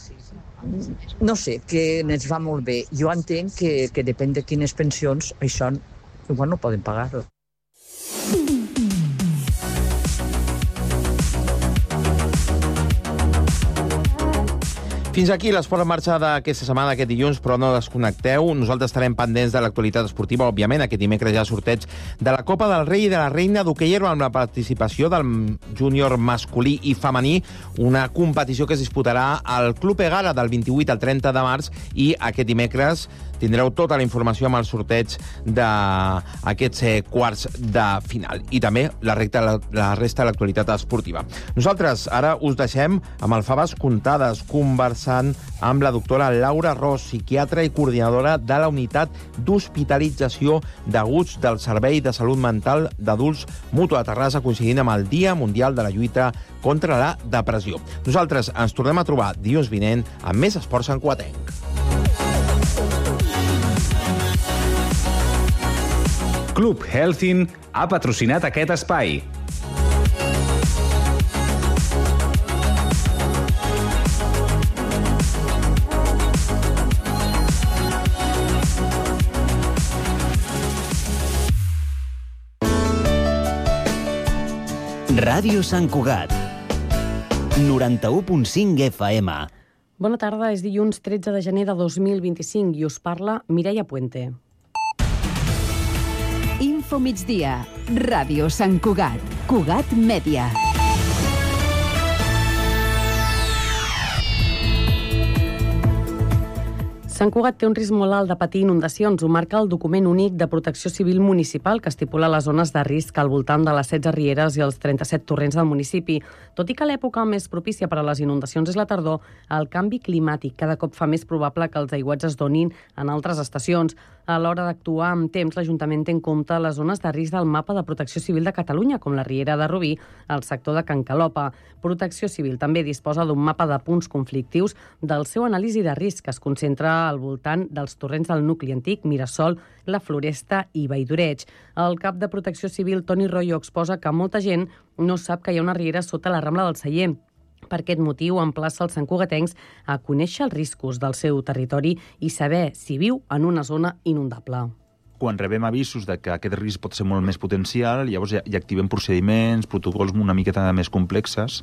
no sé, que ens va molt bé. Jo entenc que depèn de quines pensions, això igual no poden pagar-ho. Fins aquí l'esport en marxa d'aquesta setmana, aquest dilluns, però no desconnecteu. Nosaltres estarem pendents de l'actualitat esportiva, òbviament. Aquest dimecres hi ha sorteig de la Copa del Rei i de la Reina d'hoquei herba amb la participació del júnior masculí i femení, una competició que es disputarà al Club Egara del 28 al 30 de març, i aquest dimecres tindreu tota la informació amb el sorteig d'aquests quarts de final. I també la resta de l'actualitat esportiva. Nosaltres ara us deixem amb el Faves Comptades, conversant amb la doctora Laura Ros, psiquiatra i coordinadora de la unitat d'hospitalització d'aguts del Servei de Salut Mental d'Adults Mutua de Terrassa, coincidint amb el Dia Mundial de la Lluita contra la Depressió. Nosaltres ens tornem a trobar dilluns vinent amb més esports santcugatenc. Club Healthin ha patrocinat aquest espai. Ràdio Sant Cugat, 91.5 FM. Bona tarda, és dilluns 13 de gener de 2025 i us parla Mireia Puente. Info migdia, Ràdio Sant Cugat, Cugat Mèdia. Sant Cugat té un risc molt alt de patir inundacions. Ho marca el document únic de protecció civil municipal que estipula les zones de risc al voltant de les 16 rieres i els 37 torrents del municipi. Tot i que l'època més propícia per a les inundacions és la tardor, el canvi climàtic cada cop fa més probable que els aiguats es donin en altres estacions. A l'hora d'actuar amb temps, l'Ajuntament té en compte les zones de risc del mapa de Protecció Civil de Catalunya, com la Riera de Rubí, al sector de Can Calopa. Protecció Civil també disposa d'un mapa de punts conflictius del seu anàlisi de risc, que es concentra al voltant dels torrents del nucli antic, Mirasol, la Floresta i Valldoreig. El cap de Protecció Civil, Toni Royo, exposa que molta gent no sap que hi ha una riera sota la Rambla del Celler. Per aquest motiu, emplaça els santcugatencs a conèixer els riscos del seu territori i saber si viu en una zona inundable. Quan rebem avisos de que aquest risc pot ser molt més potencial, llavors ja activem procediments, protocols una miqueta més complexes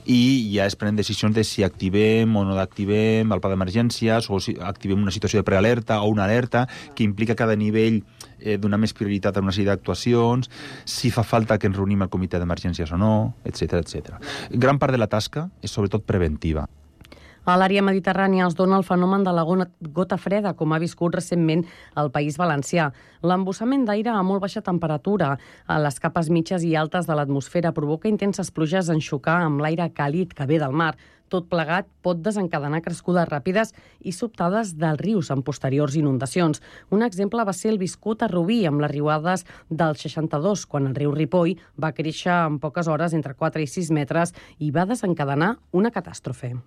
i ja es prenen decisions de si activem o no activem el pla d'emergències o si activem una situació de prealerta o una alerta que implica cada nivell donar més prioritat a una sèrie d'actuacions, si fa falta que ens reunim al comitè d'emergències o no, etc etc. Gran part de la tasca és sobretot preventiva. A l'àrea mediterrània es dona el fenomen de la gota freda, com ha viscut recentment el País Valencià. L'embussament d'aire a molt baixa temperatura a les capes mitges i altes de l'atmosfera provoca intenses pluges en xocar amb l'aire càlid que ve del mar. Tot plegat pot desencadenar crescudes ràpides i sobtades dels rius en posteriors inundacions. Un exemple va ser el viscut a Rubí, amb les riuades del 62, quan el riu Ripoll va créixer en poques hores entre 4 i 6 metres i va desencadenar una catàstrofe.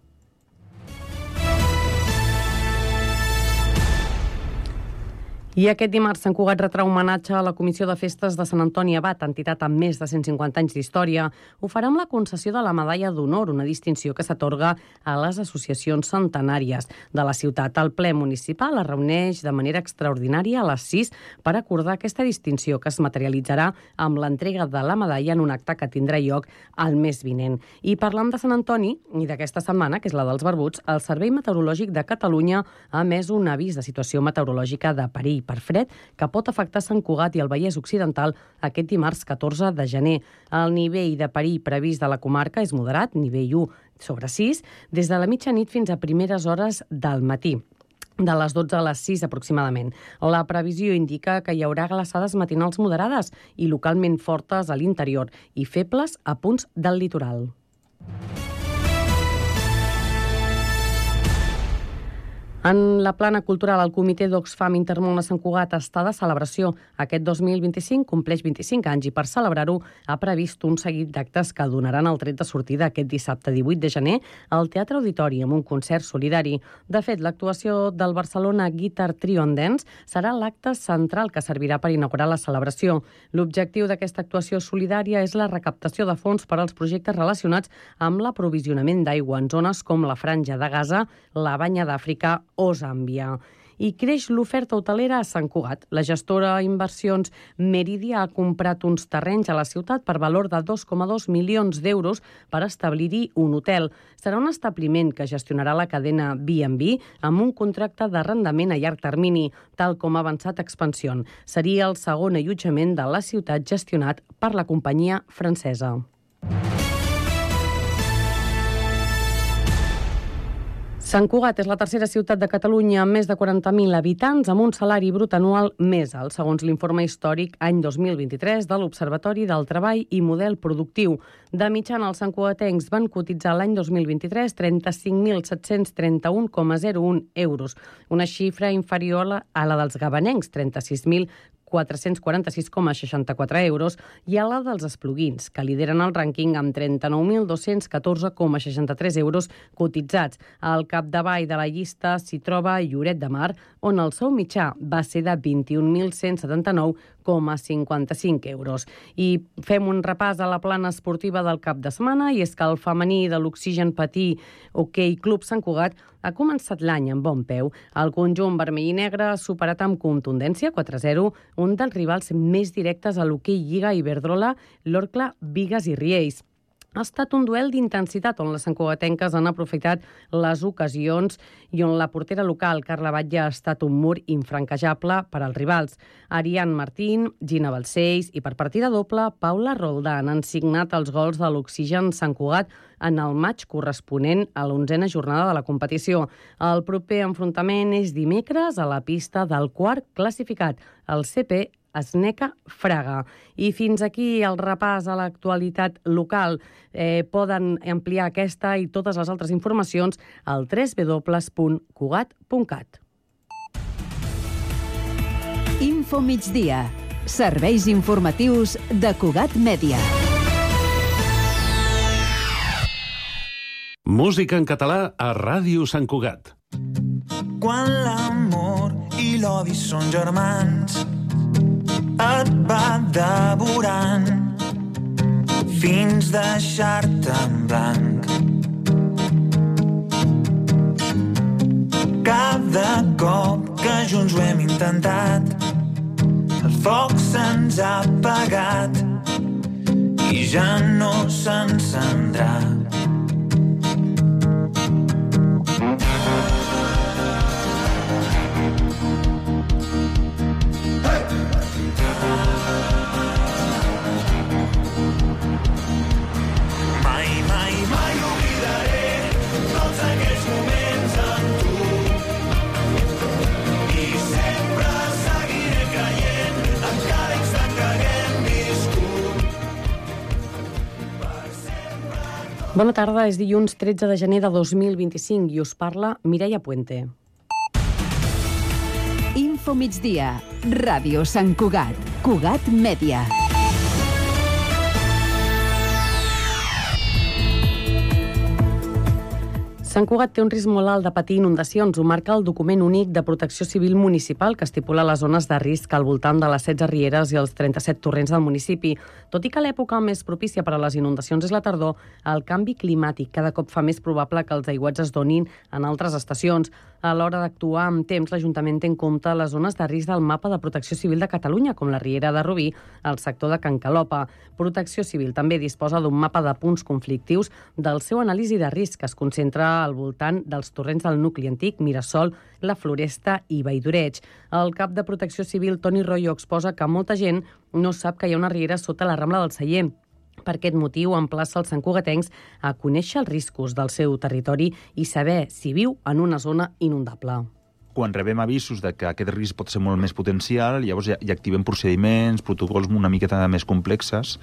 I aquest dimarts Sant Cugat retrà homenatge a la Comissió de Festes de Sant Antoni Abat, entitat amb més de 150 anys d'història. Ho farà amb la concessió de la Medalla d'Honor, una distinció que s'atorga a les associacions centenàries de la ciutat. El ple municipal es reuneix de manera extraordinària a les 6 per acordar aquesta distinció, que es materialitzarà amb l'entrega de la medalla en un acte que tindrà lloc el mes vinent. I parlant de Sant Antoni i d'aquesta setmana, que és la dels barbuts, el Servei Meteorològic de Catalunya ha emès un avís de situació meteorològica de perill per fred que pot afectar Sant Cugat i el Vallès Occidental aquest dimarts 14 de gener. El nivell de perill previst de la comarca és moderat, nivell 1/6, des de la mitjanit fins a primeres hores del matí, de les 12 a les 6 aproximadament. La previsió indica que hi haurà glaçades matinals moderades i localment fortes a l'interior i febles a punts del litoral. En la plana cultural, el Comitè d'Oxfam Intermón a Sant Cugat està de celebració. Aquest 2025 compleix 25 anys i per celebrar-ho ha previst un seguit d'actes que donaran el tret de sortida aquest dissabte 18 de gener al Teatre Auditori amb un concert solidari. De fet, l'actuació del Barcelona Guitar Trio and Dance serà l'acte central que servirà per inaugurar la celebració. L'objectiu d'aquesta actuació solidària és la recaptació de fons per als projectes relacionats amb l'aprovisionament d'aigua en zones com la Franja de Gaza, la Banya d'Àfrica o Zàmbia. I creix l'oferta hotelera a Sant Cugat. La gestora Inversions Meridia ha comprat uns terrenys a la ciutat per valor de 2,2 milions d'euros per establir-hi un hotel. Serà un establiment que gestionarà la cadena B&B amb un contracte d'arrendament a llarg termini, tal com ha avançat Expansión. Seria el segon allotjament de la ciutat gestionat per la companyia francesa. Sant Cugat és la tercera ciutat de Catalunya amb més de 40.000 habitants amb un salari brut anual més alt, segons l'informe històric any 2023 de l'Observatori del Treball i Model Productiu. De mitjana, els santcugatencs van cotitzar l'any 2023 35.731,01 euros, una xifra inferior a la dels gabanencs, 36.446,64 euros, i a la dels espluguins, que lideren el rànquing amb 39.214,63 euros cotitzats. Al capdavall de la llista s'hi troba Lloret de Mar, on el sou mitjà va ser de 21.179,55 euros. I fem un repàs a la plana esportiva del cap de setmana, i és que el femení de l'Oxigen Patí Hoquei Club Sant Cugat ha començat l'any amb bon peu. El conjunt vermell i negre ha superat amb contundència 4-0 un dels rivals més directes a l'hoquei Lliga Iberdrola, l'Orcla Bigues i Riells. Ha estat un duel d'intensitat on les santcugatenques han aprofitat les ocasions i on la portera local, Carla Batlle, ha estat un mur infranquejable per als rivals. Ariane Martín, Gina Balcells i per partida doble, Paula Roldán han signat els gols de l'Oxigen Sant Cugat en el maig corresponent a l'11a jornada de la competició. El proper enfrontament és dimecres a la pista del quart classificat, el CP Esneca Fraga. I fins aquí el repàs a l'actualitat local. Poden ampliar aquesta i totes les altres informacions al www.cugat.cat. Info migdia. Serveis informatius de Cugat Mèdia. Música en català a Ràdio Sant Cugat. Quan l'amor i l'odi són germans, et va devorant fins deixar-te en blanc. Cada cop que junts ho hem intentat, el foc se'ns ha apagat i ja no s'encendrà. Bona tarda, és dilluns 13 de gener de 2025 i us parla Mireia Puente. Info migdia. Ràdio Sant Cugat. Cugat Mèdia. Sant Cugat té un risc molt alt de patir inundacions. Ho marca el document únic de protecció civil municipal que estipula les zones de risc al voltant de les 16 rieres i els 37 torrents del municipi. Tot i que l'època més propícia per a les inundacions és la tardor, el canvi climàtic cada cop fa més probable que els aiguats es donin en altres estacions. A l'hora d'actuar amb temps, l'Ajuntament té en compte les zones de risc del mapa de protecció civil de Catalunya, com la Riera de Rubí, el sector de Can Calopa. Protecció Civil també disposa d'un mapa de punts conflictius del seu anàlisi de risc, que es concentra al voltant dels torrents del nucli antic, Mirasol, la Floresta i Valldoreig. El cap de Protecció Civil, Toni Royo, exposa que molta gent no sap que hi ha una riera sota la Rambla del Celler. Per aquest motiu, emplaça els santcugatencs a conèixer els riscos del seu territori i saber si viu en una zona inundable. Quan rebem avisos de que aquest risc pot ser molt més potencial, llavors ja activem procediments, protocols una miqueta més complexes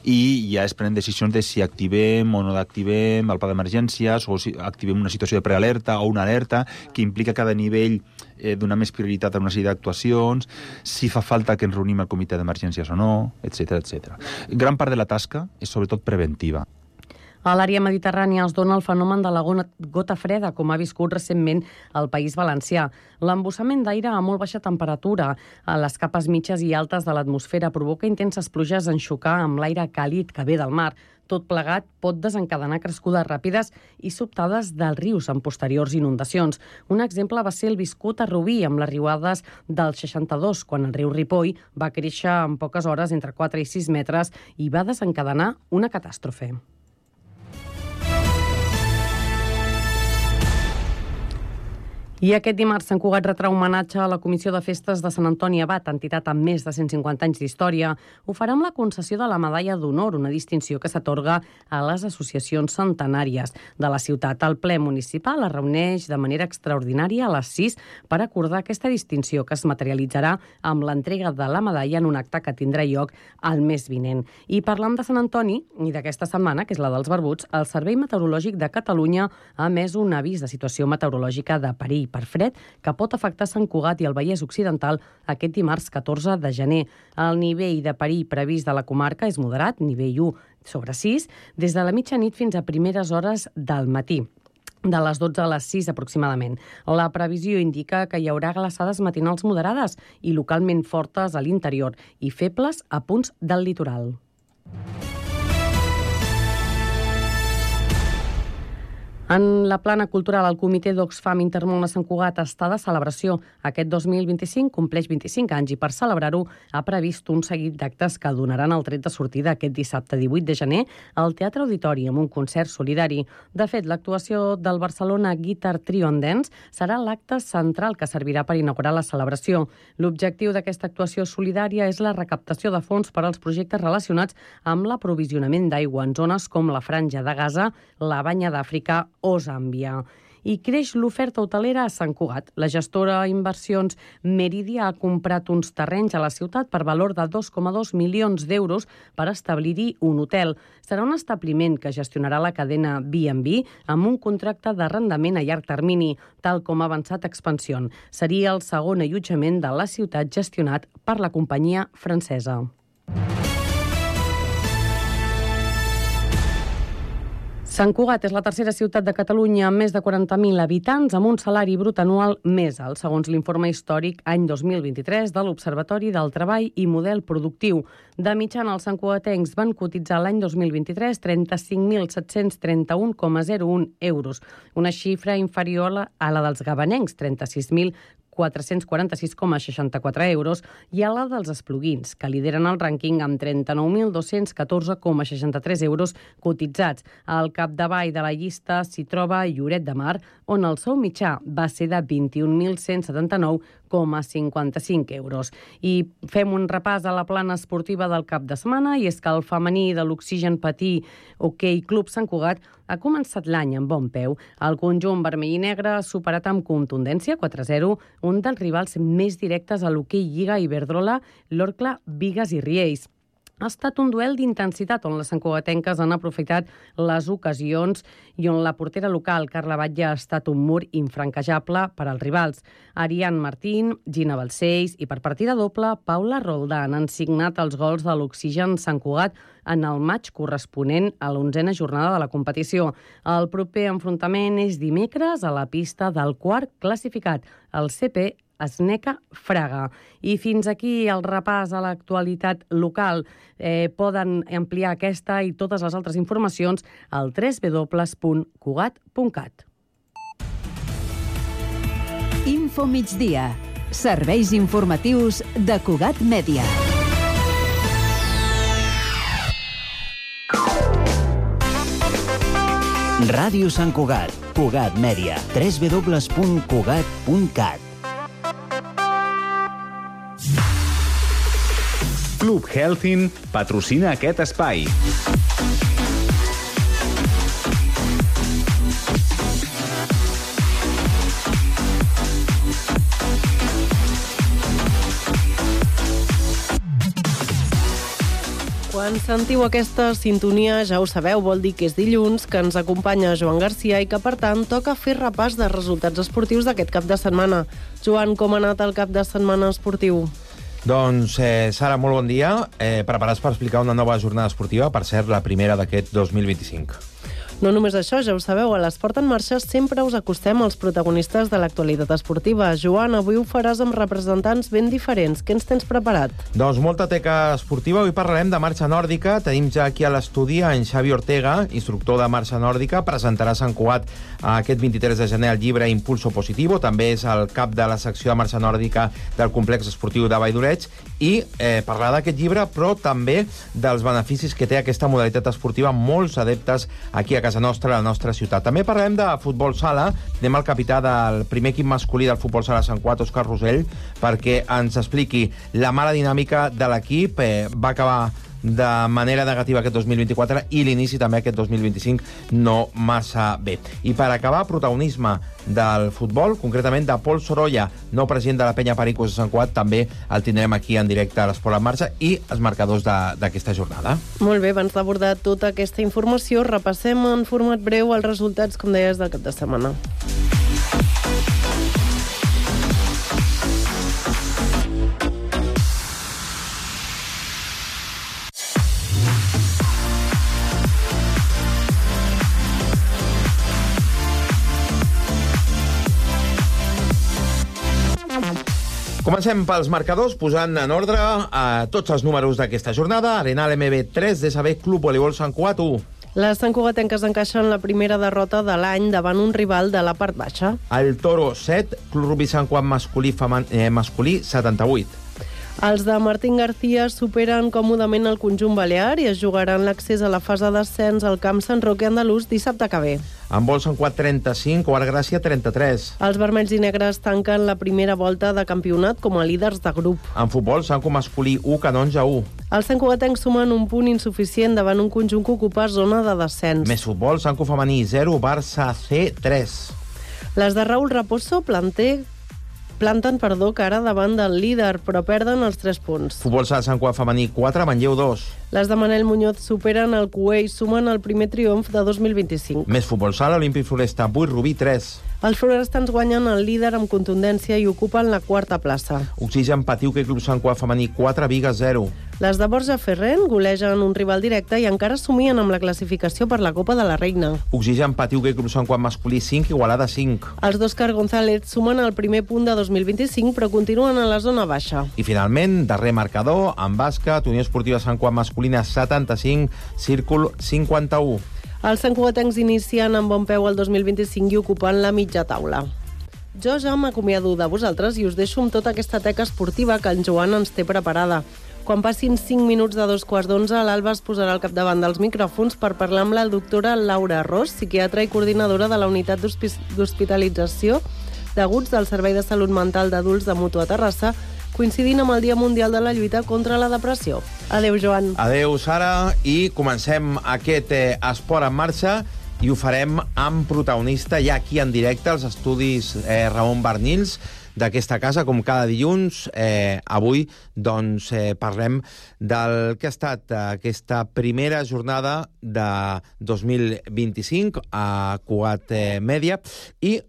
i ja es prenen decisions de si activem o no activem el pla d'emergències o si activem una situació de prealerta o una alerta que implica cada nivell donar més prioritat a una sèrie d'actuacions, si fa falta que ens reunim al comitè d'emergències o no, etc etc. Gran part de la tasca és sobretot preventiva. A l'àrea mediterrània es dona el fenomen de la gota freda, com ha viscut recentment el País Valencià. L'embussament d'aire a molt baixa temperatura a les capes mitges i altes de l'atmosfera provoca intenses pluges en xocar amb l'aire càlid que ve del mar. Tot plegat pot desencadenar crescudes ràpides i sobtades dels rius en posteriors inundacions. Un exemple va ser el viscut a Rubí, amb les riuades del 62, quan el riu Ripoll va créixer en poques hores entre 4 i 6 metres i va desencadenar una catàstrofe. I aquest dimarts Sant Cugat retrà homenatge a la Comissió de Festes de Sant Antoni Abat, entitat amb més de 150 anys d'història. Ho farà amb la concessió de la Medalla d'Honor, una distinció que s'atorga a les associacions centenàries de la ciutat. El ple municipal es reuneix de manera extraordinària a les 6 per acordar aquesta distinció, que es materialitzarà amb l'entrega de la medalla en un acte que tindrà lloc el mes vinent. I parlant de Sant Antoni i d'aquesta setmana, que és la dels barbuts, el Servei Meteorològic de Catalunya ha emès un avís de situació meteorològica de perill per fred que pot afectar Sant Cugat i el Vallès Occidental aquest dimarts 14 de gener. El nivell de perill previst de la comarca és moderat, nivell 1/6, des de la mitjanit fins a primeres hores del matí, de les 12 a les 6 aproximadament. La previsió indica que hi haurà glaçades matinals moderades i localment fortes a l'interior i febles a punts del litoral. En la plana cultural, el comitè d'Oxfam Intermón a Sant Cugat està de celebració. Aquest 2025 compleix 25 anys i per celebrar-ho ha previst un seguit d'actes que donaran el tret de sortida aquest dissabte 18 de gener al Teatre Auditori amb un concert solidari. De fet, l'actuació del Barcelona Guitar Trio and Dance serà l'acte central que servirà per inaugurar la celebració. L'objectiu d'aquesta actuació solidària és la recaptació de fons per als projectes relacionats amb l'aprovisionament d'aigua en zones com la Franja de Gaza, la Banya d'Àfrica o Zàmbia. i creix l'oferta hotelera a Sant Cugat. La gestora Inversions Meridia ha comprat uns terrenys a la ciutat per valor de 2,2 milions d'euros per establir-hi un hotel. Serà un establiment que gestionarà la cadena B&B amb un contracte d'arrendament a llarg termini, tal com ha avançat Expansión. Seria el segon allotjament de la ciutat gestionat per la companyia francesa. Sant Cugat és la tercera ciutat de Catalunya amb més de 40.000 habitants amb un salari brut anual més alt, segons l'informe històric any 2023 de l'Observatori del Treball i Model Productiu. De mitjana, els santcugatencs van cotitzar l'any 2023 35.731,01 euros, una xifra inferior a la dels gabanencs, 36.446,64 euros, i a la dels espluguins, que lideren el rànquing amb 39.214,63 euros cotitzats. Al capdavall de la llista s'hi troba Lloret de Mar, on el sou mitjà va ser de 21.179,55 euros. I fem un repàs a la plana esportiva del cap de setmana, i és que el femení de l'Oxigen Patí Hoquei Club Sant Cugat ha començat l'any amb bon peu. El conjunt vermell i negre ha superat amb contundència 4-0 un dels rivals més directes a l'hoquei Lliga Iberdrola, l'Orcla Bigues i Riells. Ha estat un duel d'intensitat on les santcugatenques han aprofitat les ocasions i on la portera local, Carla Batlle, ha estat un mur infranquejable per als rivals. Ariane Martín, Gina Balcells i per partida doble, Paula Roldán han signat els gols de l'Oxigen Sant Cugat en el maig corresponent a l'11a jornada de la competició. El proper enfrontament és dimecres a la pista del quart classificat, el CP Esneca Fraga. I fins aquí el repàs a l'actualitat local. Poden ampliar aquesta i totes les altres informacions al www.cugat.cat. Info migdia. Serveis informatius de Cugat Mèdia. Ràdio Sant Cugat. Cugat Mèdia. www.cugat.cat. Club Healthin patrocina aquest espai. Quan sentiu aquesta sintonia, ja ho sabeu, vol dir que és dilluns, que ens acompanya Joan Garcia i que, per tant, toca fer repàs de resultats esportius d'aquest cap de setmana. Joan, com ha anat el cap de setmana esportiu? Doncs, Sara, molt bon dia. Preparats per explicar una nova jornada esportiva, per cert, la primera d'aquest 2025. No només això, ja ho sabeu, a l'Esport en Marxa sempre us acostem als protagonistes de l'actualitat esportiva. Joan, avui ho faràs amb representants ben diferents. Què ens tens preparat? Doncs molta teca esportiva. Avui parlarem de marxa nòrdica. Tenim ja aquí a l'estudi en Xavi Ortega, instructor de marxa nòrdica. Presentarà a Sant Cugat aquest 23 de gener el llibre Impulso Positivo. També és el cap de la secció de marxa nòrdica del complex esportiu de Vall d'Oreig. I parlar d'aquest llibre, però també dels beneficis que té aquesta modalitat esportiva, molts adeptes aquí a casa nostra, a la nostra ciutat. També parlem de futbol sala. Anem al capità del primer equip masculí del futbol sala Sant Cugat, Òscar Rosell, perquè ens expliqui la mala dinàmica de l'equip. Va acabar de manera negativa aquest 2024 i l'inici també aquest 2025 no massa bé. I per acabar, protagonisme del futbol, concretament de Pol Sorolla, nou president de la Penya Pericos de Sant Cugat. També el tindrem aquí en directe a l'Esport en Marxa i els marcadors d'aquesta jornada. Molt bé, abans d'abordar tota aquesta informació, repassem en format breu els resultats, com deies, del cap de setmana. Comencem pels marcadors, posant en ordre tots els números d'aquesta jornada. Arenal MB 3, DSB Club Voleibol Sant Cugat 1. Les santcugatenques encaixen la primera derrota de l'any davant un rival de la part baixa. El Toro 7, Club Rugbi Sant Cugat masculí 78. Els de Martín García superen còmodament el conjunt balear i es jugaran l'accés a la fase d'ascens al camp Sant Roque Andalús dissabte que ve. En vol Sant Cugat 35, Quart Gràcia 33. Els vermells i negres tanquen la primera volta de campionat com a líders de grup. En futbol, Sant Cugat masculí 1, Canonja 1. Els santcugatencs sumen un punt insuficient davant un conjunt que ocupa zona de descens. Més futbol, Sant Cugat femení 0, Barça C 3. Les de Raúl Raposo planten cara davant del líder, però perden els 3 punts. Futbol sala Sant Cugat femení 4, Manlleu 2. Les de Manel Muñoz superen el Cué i sumen el primer triomf de 2025. Més futbol sala, Olímpic Floresta 8, Rubí 3. Els florestans guanyen el líder amb contundència i ocupen la 4a plaça. Oxigen patiu que Club Sant Cugat femení 4, Viga 0. Les de Borja Ferrén golegen un rival directe i encara somien amb la classificació per la Copa de la Reina. Oxigen patiu que Club Sant Cugat masculí 5, Igualada 5. Els d'Òscar González sumen el primer punt de 2025 però continuen a la zona baixa. I finalment, darrer marcador, en bàsquet, Unió Esportiva Sant Cugat masculina 75, Círcul 51. Els santcugatencs inicien amb bon peu el 2025 i ocupant la mitja taula. Jo ja m'acomiado de vosaltres i us deixo amb tota aquesta teca esportiva que en Joan ens té preparada. Quan passin 5 minuts de 2:15, l'Alba es posarà al capdavant dels micròfons per parlar amb la doctora Laura Ros, psiquiatra i coordinadora de la unitat d'hospitalització d'aguts del Servei de Salut Mental d'Adults de Mutu a Terrassa, coincidint amb el Dia Mundial de la Lluita contra la Depressió. Adéu, Joan. Adéu, Sara, i comencem aquest esport en marxa i ho farem amb protagonista ja aquí en directe als estudis Ramon Barnils d'aquesta casa, com cada dilluns. Avui doncs, parlem del que ha estat aquesta primera jornada de 2025 a Cugat Mèdia i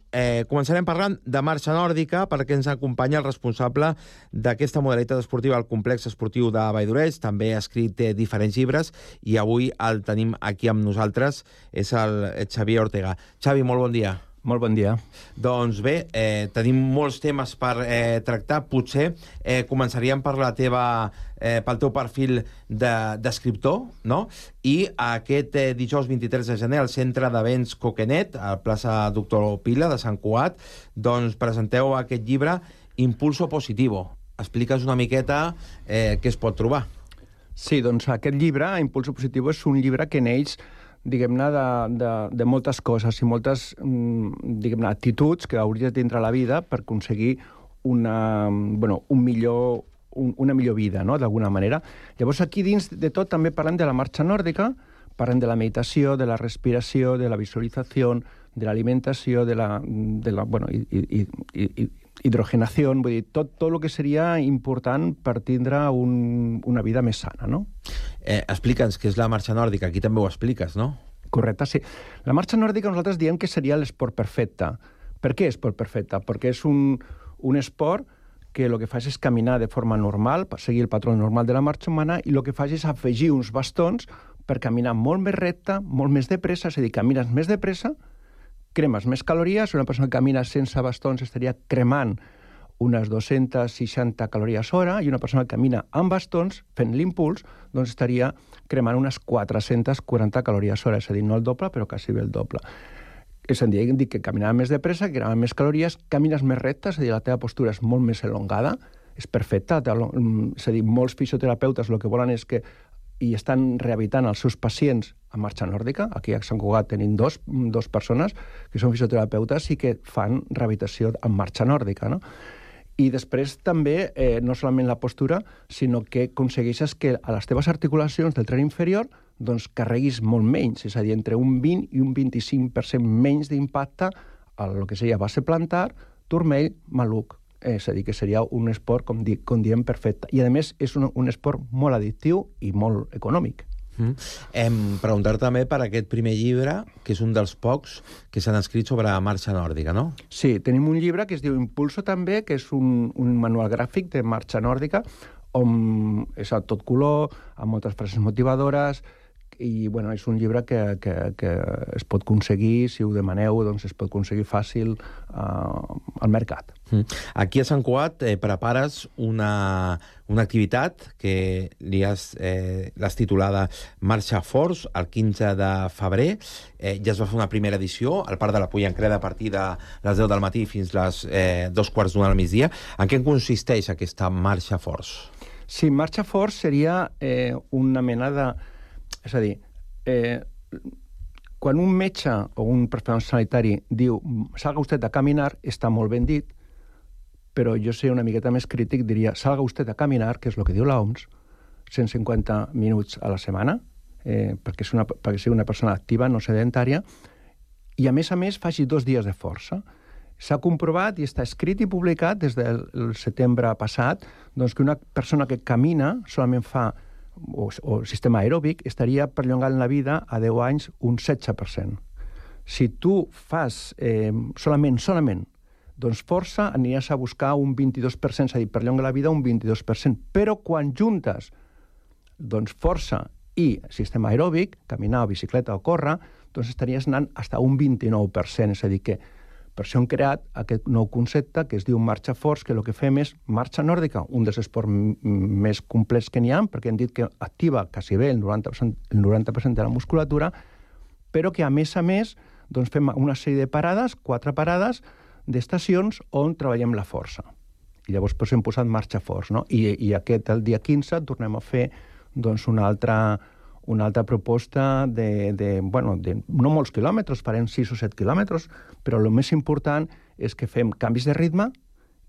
començarem parlant de marxa nòrdica perquè ens acompanya el responsable d'aquesta modalitat esportiva al complex esportiu de Valldoreix. També ha escrit diferents llibres i avui el tenim aquí amb nosaltres, és el Xavier Ortega. Xavi, molt bon dia. Molt bon dia. Doncs bé, tenim molts temes per tractar. Potser començaríem per pel teu perfil d'escriptor, no? I aquest dijous 23 de gener al Centre d'Events Coquenet, a la plaça Doctor Pila de Sant Cugat, doncs presenteu aquest llibre Impulso Positivo. Expliques una miqueta què es pot trobar. Sí, doncs aquest llibre, Impulso Positivo, és un llibre que neix diguem-ne, de moltes coses i moltes, diguem-ne, actituds que hauries de tindre a la vida per aconseguir una millor vida, no?, d'alguna manera. Llavors, aquí dins de tot també parlem de la marxa nòrdica, parlem de la meditació, de la respiració, de la visualització, de l'alimentació, de la hidrogenació, vull dir, tot el que seria important per tindre una vida més sana, no? Explica'ns què és la marxa nòrdica, aquí també ho expliques, no? Correcte, sí. La marxa nòrdica nosaltres diem que seria l'esport perfecte. Per què esport perfecte? Perquè és un esport que el que fa és caminar de forma normal, per seguir el patró normal de la marxa humana, i el que fa és afegir uns bastons per caminar molt més recte, molt més de pressa, és a dir, camines més de pressa, cremes més calories. Una persona que camina sense bastons estaria cremant unes 260 calories hora, i una persona que camina amb bastons, fent l'impuls, doncs estaria cremant unes 440 calories hora, és a dir, no el doble, però quasi bé el doble. És a dir, que caminava més de pressa, que cremava més calories, camines més recte, és a dir, la teva postura és molt més elongada, és perfecta, és a dir, molts fisioterapeutes el que volen és que i estan rehabilitant els seus pacients a marxa nòrdica. Aquí a Sant Cugat tenim dos persones que són fisioterapeutes i que fan rehabilitació en marxa nòrdica, no? I després també, no solament la postura, sinó que aconsegueixes que a les teves articulacions del tren inferior doncs carreguis molt menys, és a dir, entre un 20 i un 25% menys d'impacte a el que seria base plantar, turmell, maluc. És a dir, que seria un esport, com diem, perfecte. I, a més, és un esport molt addictiu i molt econòmic. Preguntar també per aquest primer llibre, que és un dels pocs que s'han escrit sobre marxa nòrdica, no? Sí, tenim un llibre que es diu Impulso també, que és un manual gràfic de marxa nòrdica, on és a tot color, amb moltes frases motivadores, i bueno, és un llibre que es pot aconseguir, si ho demaneu, doncs es pot aconseguir fàcil al mercat. Aquí a Sant Cugat prepares una activitat que l'has titulada Marxa Forts, el 15 de febrer. Ja es va fer una primera edició al Parc de la Pollancreda a partir de les 10 del matí fins les 2:15 del migdia. En què consisteix aquesta Marxa Forts? Sí, Marxa Forts seria una mena de... És a dir, quan un metge o un professional sanitari diu salga usted a caminar, està molt ben dit, però jo sé una miqueta més crític, diria salga usted a caminar, que és el que diu l'OMS, 150 minuts a la setmana, perquè sigui una persona activa, no sedentària, i a més faci 2 dies de força. S'ha comprovat i està escrit i publicat des del setembre passat doncs que una persona que camina solament fa o sistema aeròbic estaria perllongant la vida a 10 anys un 16%. Si tu fas solament, doncs força aniràs a buscar un 22%, és a dir, perllonga la vida un 22%. Però quan juntes doncs força i sistema aeròbic, caminar o bicicleta o córrer, doncs estaries anant fins a un 29%. És a dir, que per això hem creat aquest nou concepte que es diu marxa forts, que el que fem és marxa nòrdica, un dels esports més complets que n'hi ha, perquè hem dit que activa quasi bé el 90% de la musculatura, però que a més doncs fem una sèrie de parades, 4 parades d'estacions on treballem la força. I llavors hem posat marxa forts, no? I el dia 15 tornem a fer doncs, una altra proposta de no molts quilòmetres, farem 6 o 7 quilòmetres, però el més important és que fem canvis de ritme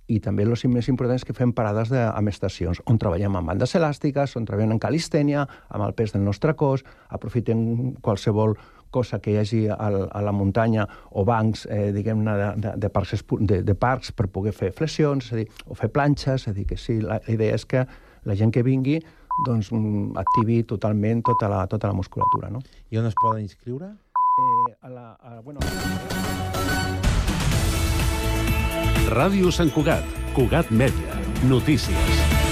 i també el més important és que fem parades amb estacions, on treballem amb bandes elàstiques, on treballem en calistènia, amb el pes del nostre cos, aprofitem qualsevol cosa que hi hagi a la muntanya o bancs, diguem-ne, de parcs per poder fer flexions, és a dir, o fer planxes, és a dir, que sí, la idea és que la gent que vingui doncs activi totalment tota la musculatura, no? I on es poden inscriure? Ràdio Sant Cugat, Cugat Mèdia, notícies.